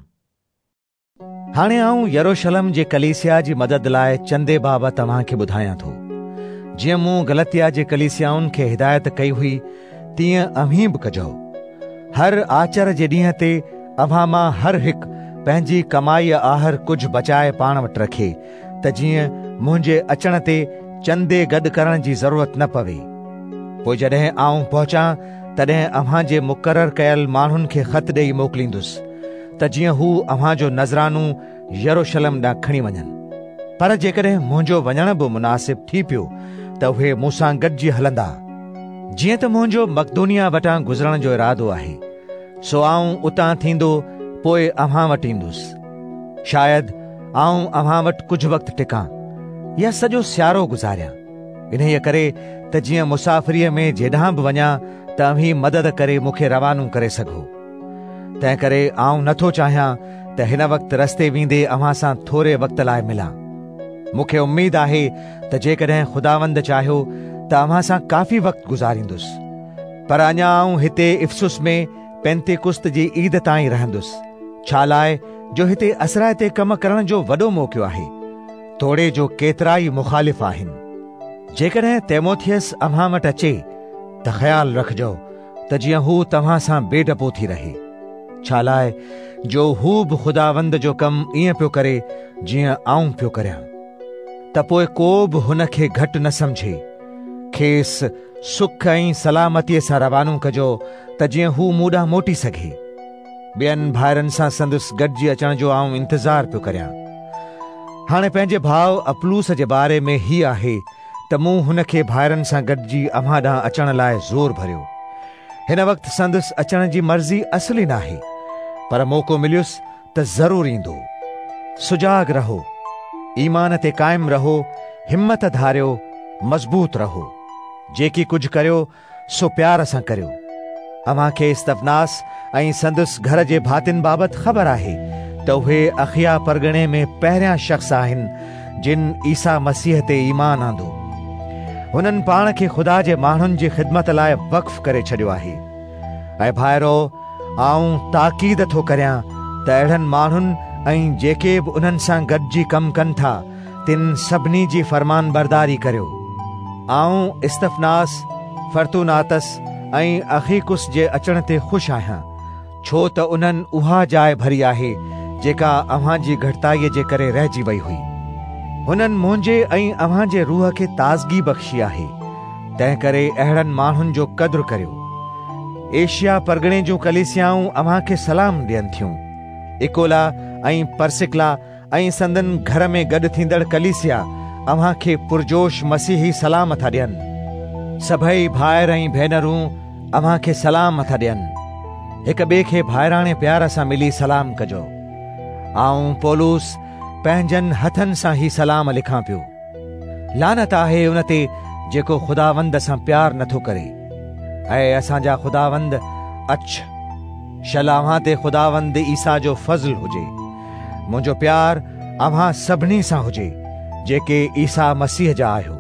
هاڻي آئون يروشلم جي ڪليسيا جي مدد لاءِ چندي بابت توهان کي ٻڌايان ٿو. جيئن مون گلتيا جي ڪليسيائن کي هدايت ڪئي هئي تيئن اوهين به ڪجو. هر آچر جي ڏينهن تي اوهان مان هر هڪ پنهنجي ڪمائيءَ آهر ڪجهه بچائي پاڻ وٽ رکي ته جيئن منهنجي اچڻ تي چندي گڏ ڪرڻ جي ضرورت نه پوي. پوءِ جڏهن آئون پهچان تڏهن اوهان جي مقرر ڪيل ماڻهن کي خط ڏيئي موڪليندس ته جيئن هو اوهان جو نذرانو يروشلم ڏانهن کڻي وڃن. پر جيڪڏهن منهنجو وڃڻ به مناسب ٿي پيو ته اهي مون سان گڏجي هلندا. جيئن ته منهنجو مقدونيا وٽان گذرڻ جو ارادو آهي، سو آئون اتان ٿيندو پوءِ اوهان وٽ ايندس. شايد آئون اوهان وٽ ڪجهه وقت ٽڪان يا سڄو سيارو گذاريان، انهيءَ ڪري ته جيئن مسافريءَ ۾ جيڏانهن به وڃان ته اوهين مدد ڪري مون کي روانو ڪري سگهو. تنهن ڪري آئون نٿو چاهيان ته هن وقت رستي ويندي اوهان سان ٿوري وقت لاءِ ملان. مون کي اميد آهي ته جيڪڏهن خداوند چاهيو ته اوهان سان ڪافي وقت گذاريندس، پر اڃا آئون هتي افسس ۾ پينتيڪست جي عيد تائين رهندس، ڇا لاءِ جو هتي اثرائتي ڪم ڪرڻ جو وڏو موقعو آهي، توڙي جو ڪيترا ئي مخالف آهن. جيڪڏهن تيموٿيس اوهان وٽ اچي ته خيال رکجو ته جيئن هو توهان سان بي ڊپو ٿي رهي، ڇا لاءِ جو هو به خداوند جو ڪم ائين پيو ڪري جيئن آئون پيو ڪريان. ته پوءِ ڪو به هن کي گهٽ نه سمجهي. کيس سک ۽ سلامتيءَ سان روانو ڪجو ته جيئن هو مون ڏانهن موٽي سگهي. ٻين ڀائرن سان سندس گڏجي اچڻ جو آئون انتظار پيو ڪريان. هاڻي پنهنجي ڀاءُ اپلوس جي باري ۾ هيءَ آهي ته مون هن کي ڀائرن سان گڏجي اوهان ڏانهن اچڻ لاءِ زور ڀريو. هن وقت سندس اچڻ جي مرضي اصلي ناهي، پر موقعو مليس ته ضرور ايندو. سجاڳ رهو، ايمان تي قائم رهو، همت ڌاريو، مضبوط رهو. جيڪي ڪجهه ڪريو سو پيار سان ڪريو. اوهان کي استفناس ۽ سندس گهر جي ڀاتين بابت خبر آهي ته اهي اخيا پرڳڻي ۾ پهريان شخص آهن جن عيسيٰ مسيح تي ايمان آندو. هنن پاڻ کي خدا جي ماڻهن جي خدمت لاءِ وقف ڪري ڇڏيو آهي. ۽ ڀائرو، آئون تاڪيد ٿو ڪريان ته اهڙن ماڻهن ۽ جيڪي به انهن سان گڏجي ڪم ڪن ٿا تن سڀني جي فرمان برداري ڪريو. آئون استفناس، فرتوناتس ۽ اخيڪس جي اچڻ تي خوش آهيان، ڇو ته انهن اها جاءِ ڀري آهي جيڪا اوهان جي گهٽتائيءَ جي ڪري رهجي وئي هئي. هنن منهنجي ۽ اوهان جي روح کي تازگي بخشي آهي، تنهن ڪري اهڙن ماڻهن جو قدر ڪريو. ايشيا پرڳڻي جون ڪليسيائون اوهان کي سلام ڏين ٿيون. اڪولا ۽ پرسڪلا ۽ سندن گهر ۾ گڏ ٿيندڙ ڪليسيا اوهان کي پرجوش مسيحي سلام ٿا ڏين. سڀئي ڀائر ۽ ڀينرون اوهان کي سلام ٿا ڏين. هڪ ٻئي کي ڀائراڻي پيار سان ملي سلام ڪجو. آئون پولس پنهنجن هٿن سان هي سلام لکان پيو. لعنت آهي ان تي جيڪو خداوند سان پيار نٿو ڪري. ۽ اسان جا خداوند اچ، شل اوهان تي خداوند عيسيٰ جو فضل هجي. منهنجو پيار اوهان سڀني سان هجي جيڪي عيسيٰ مسيح جا آهيو.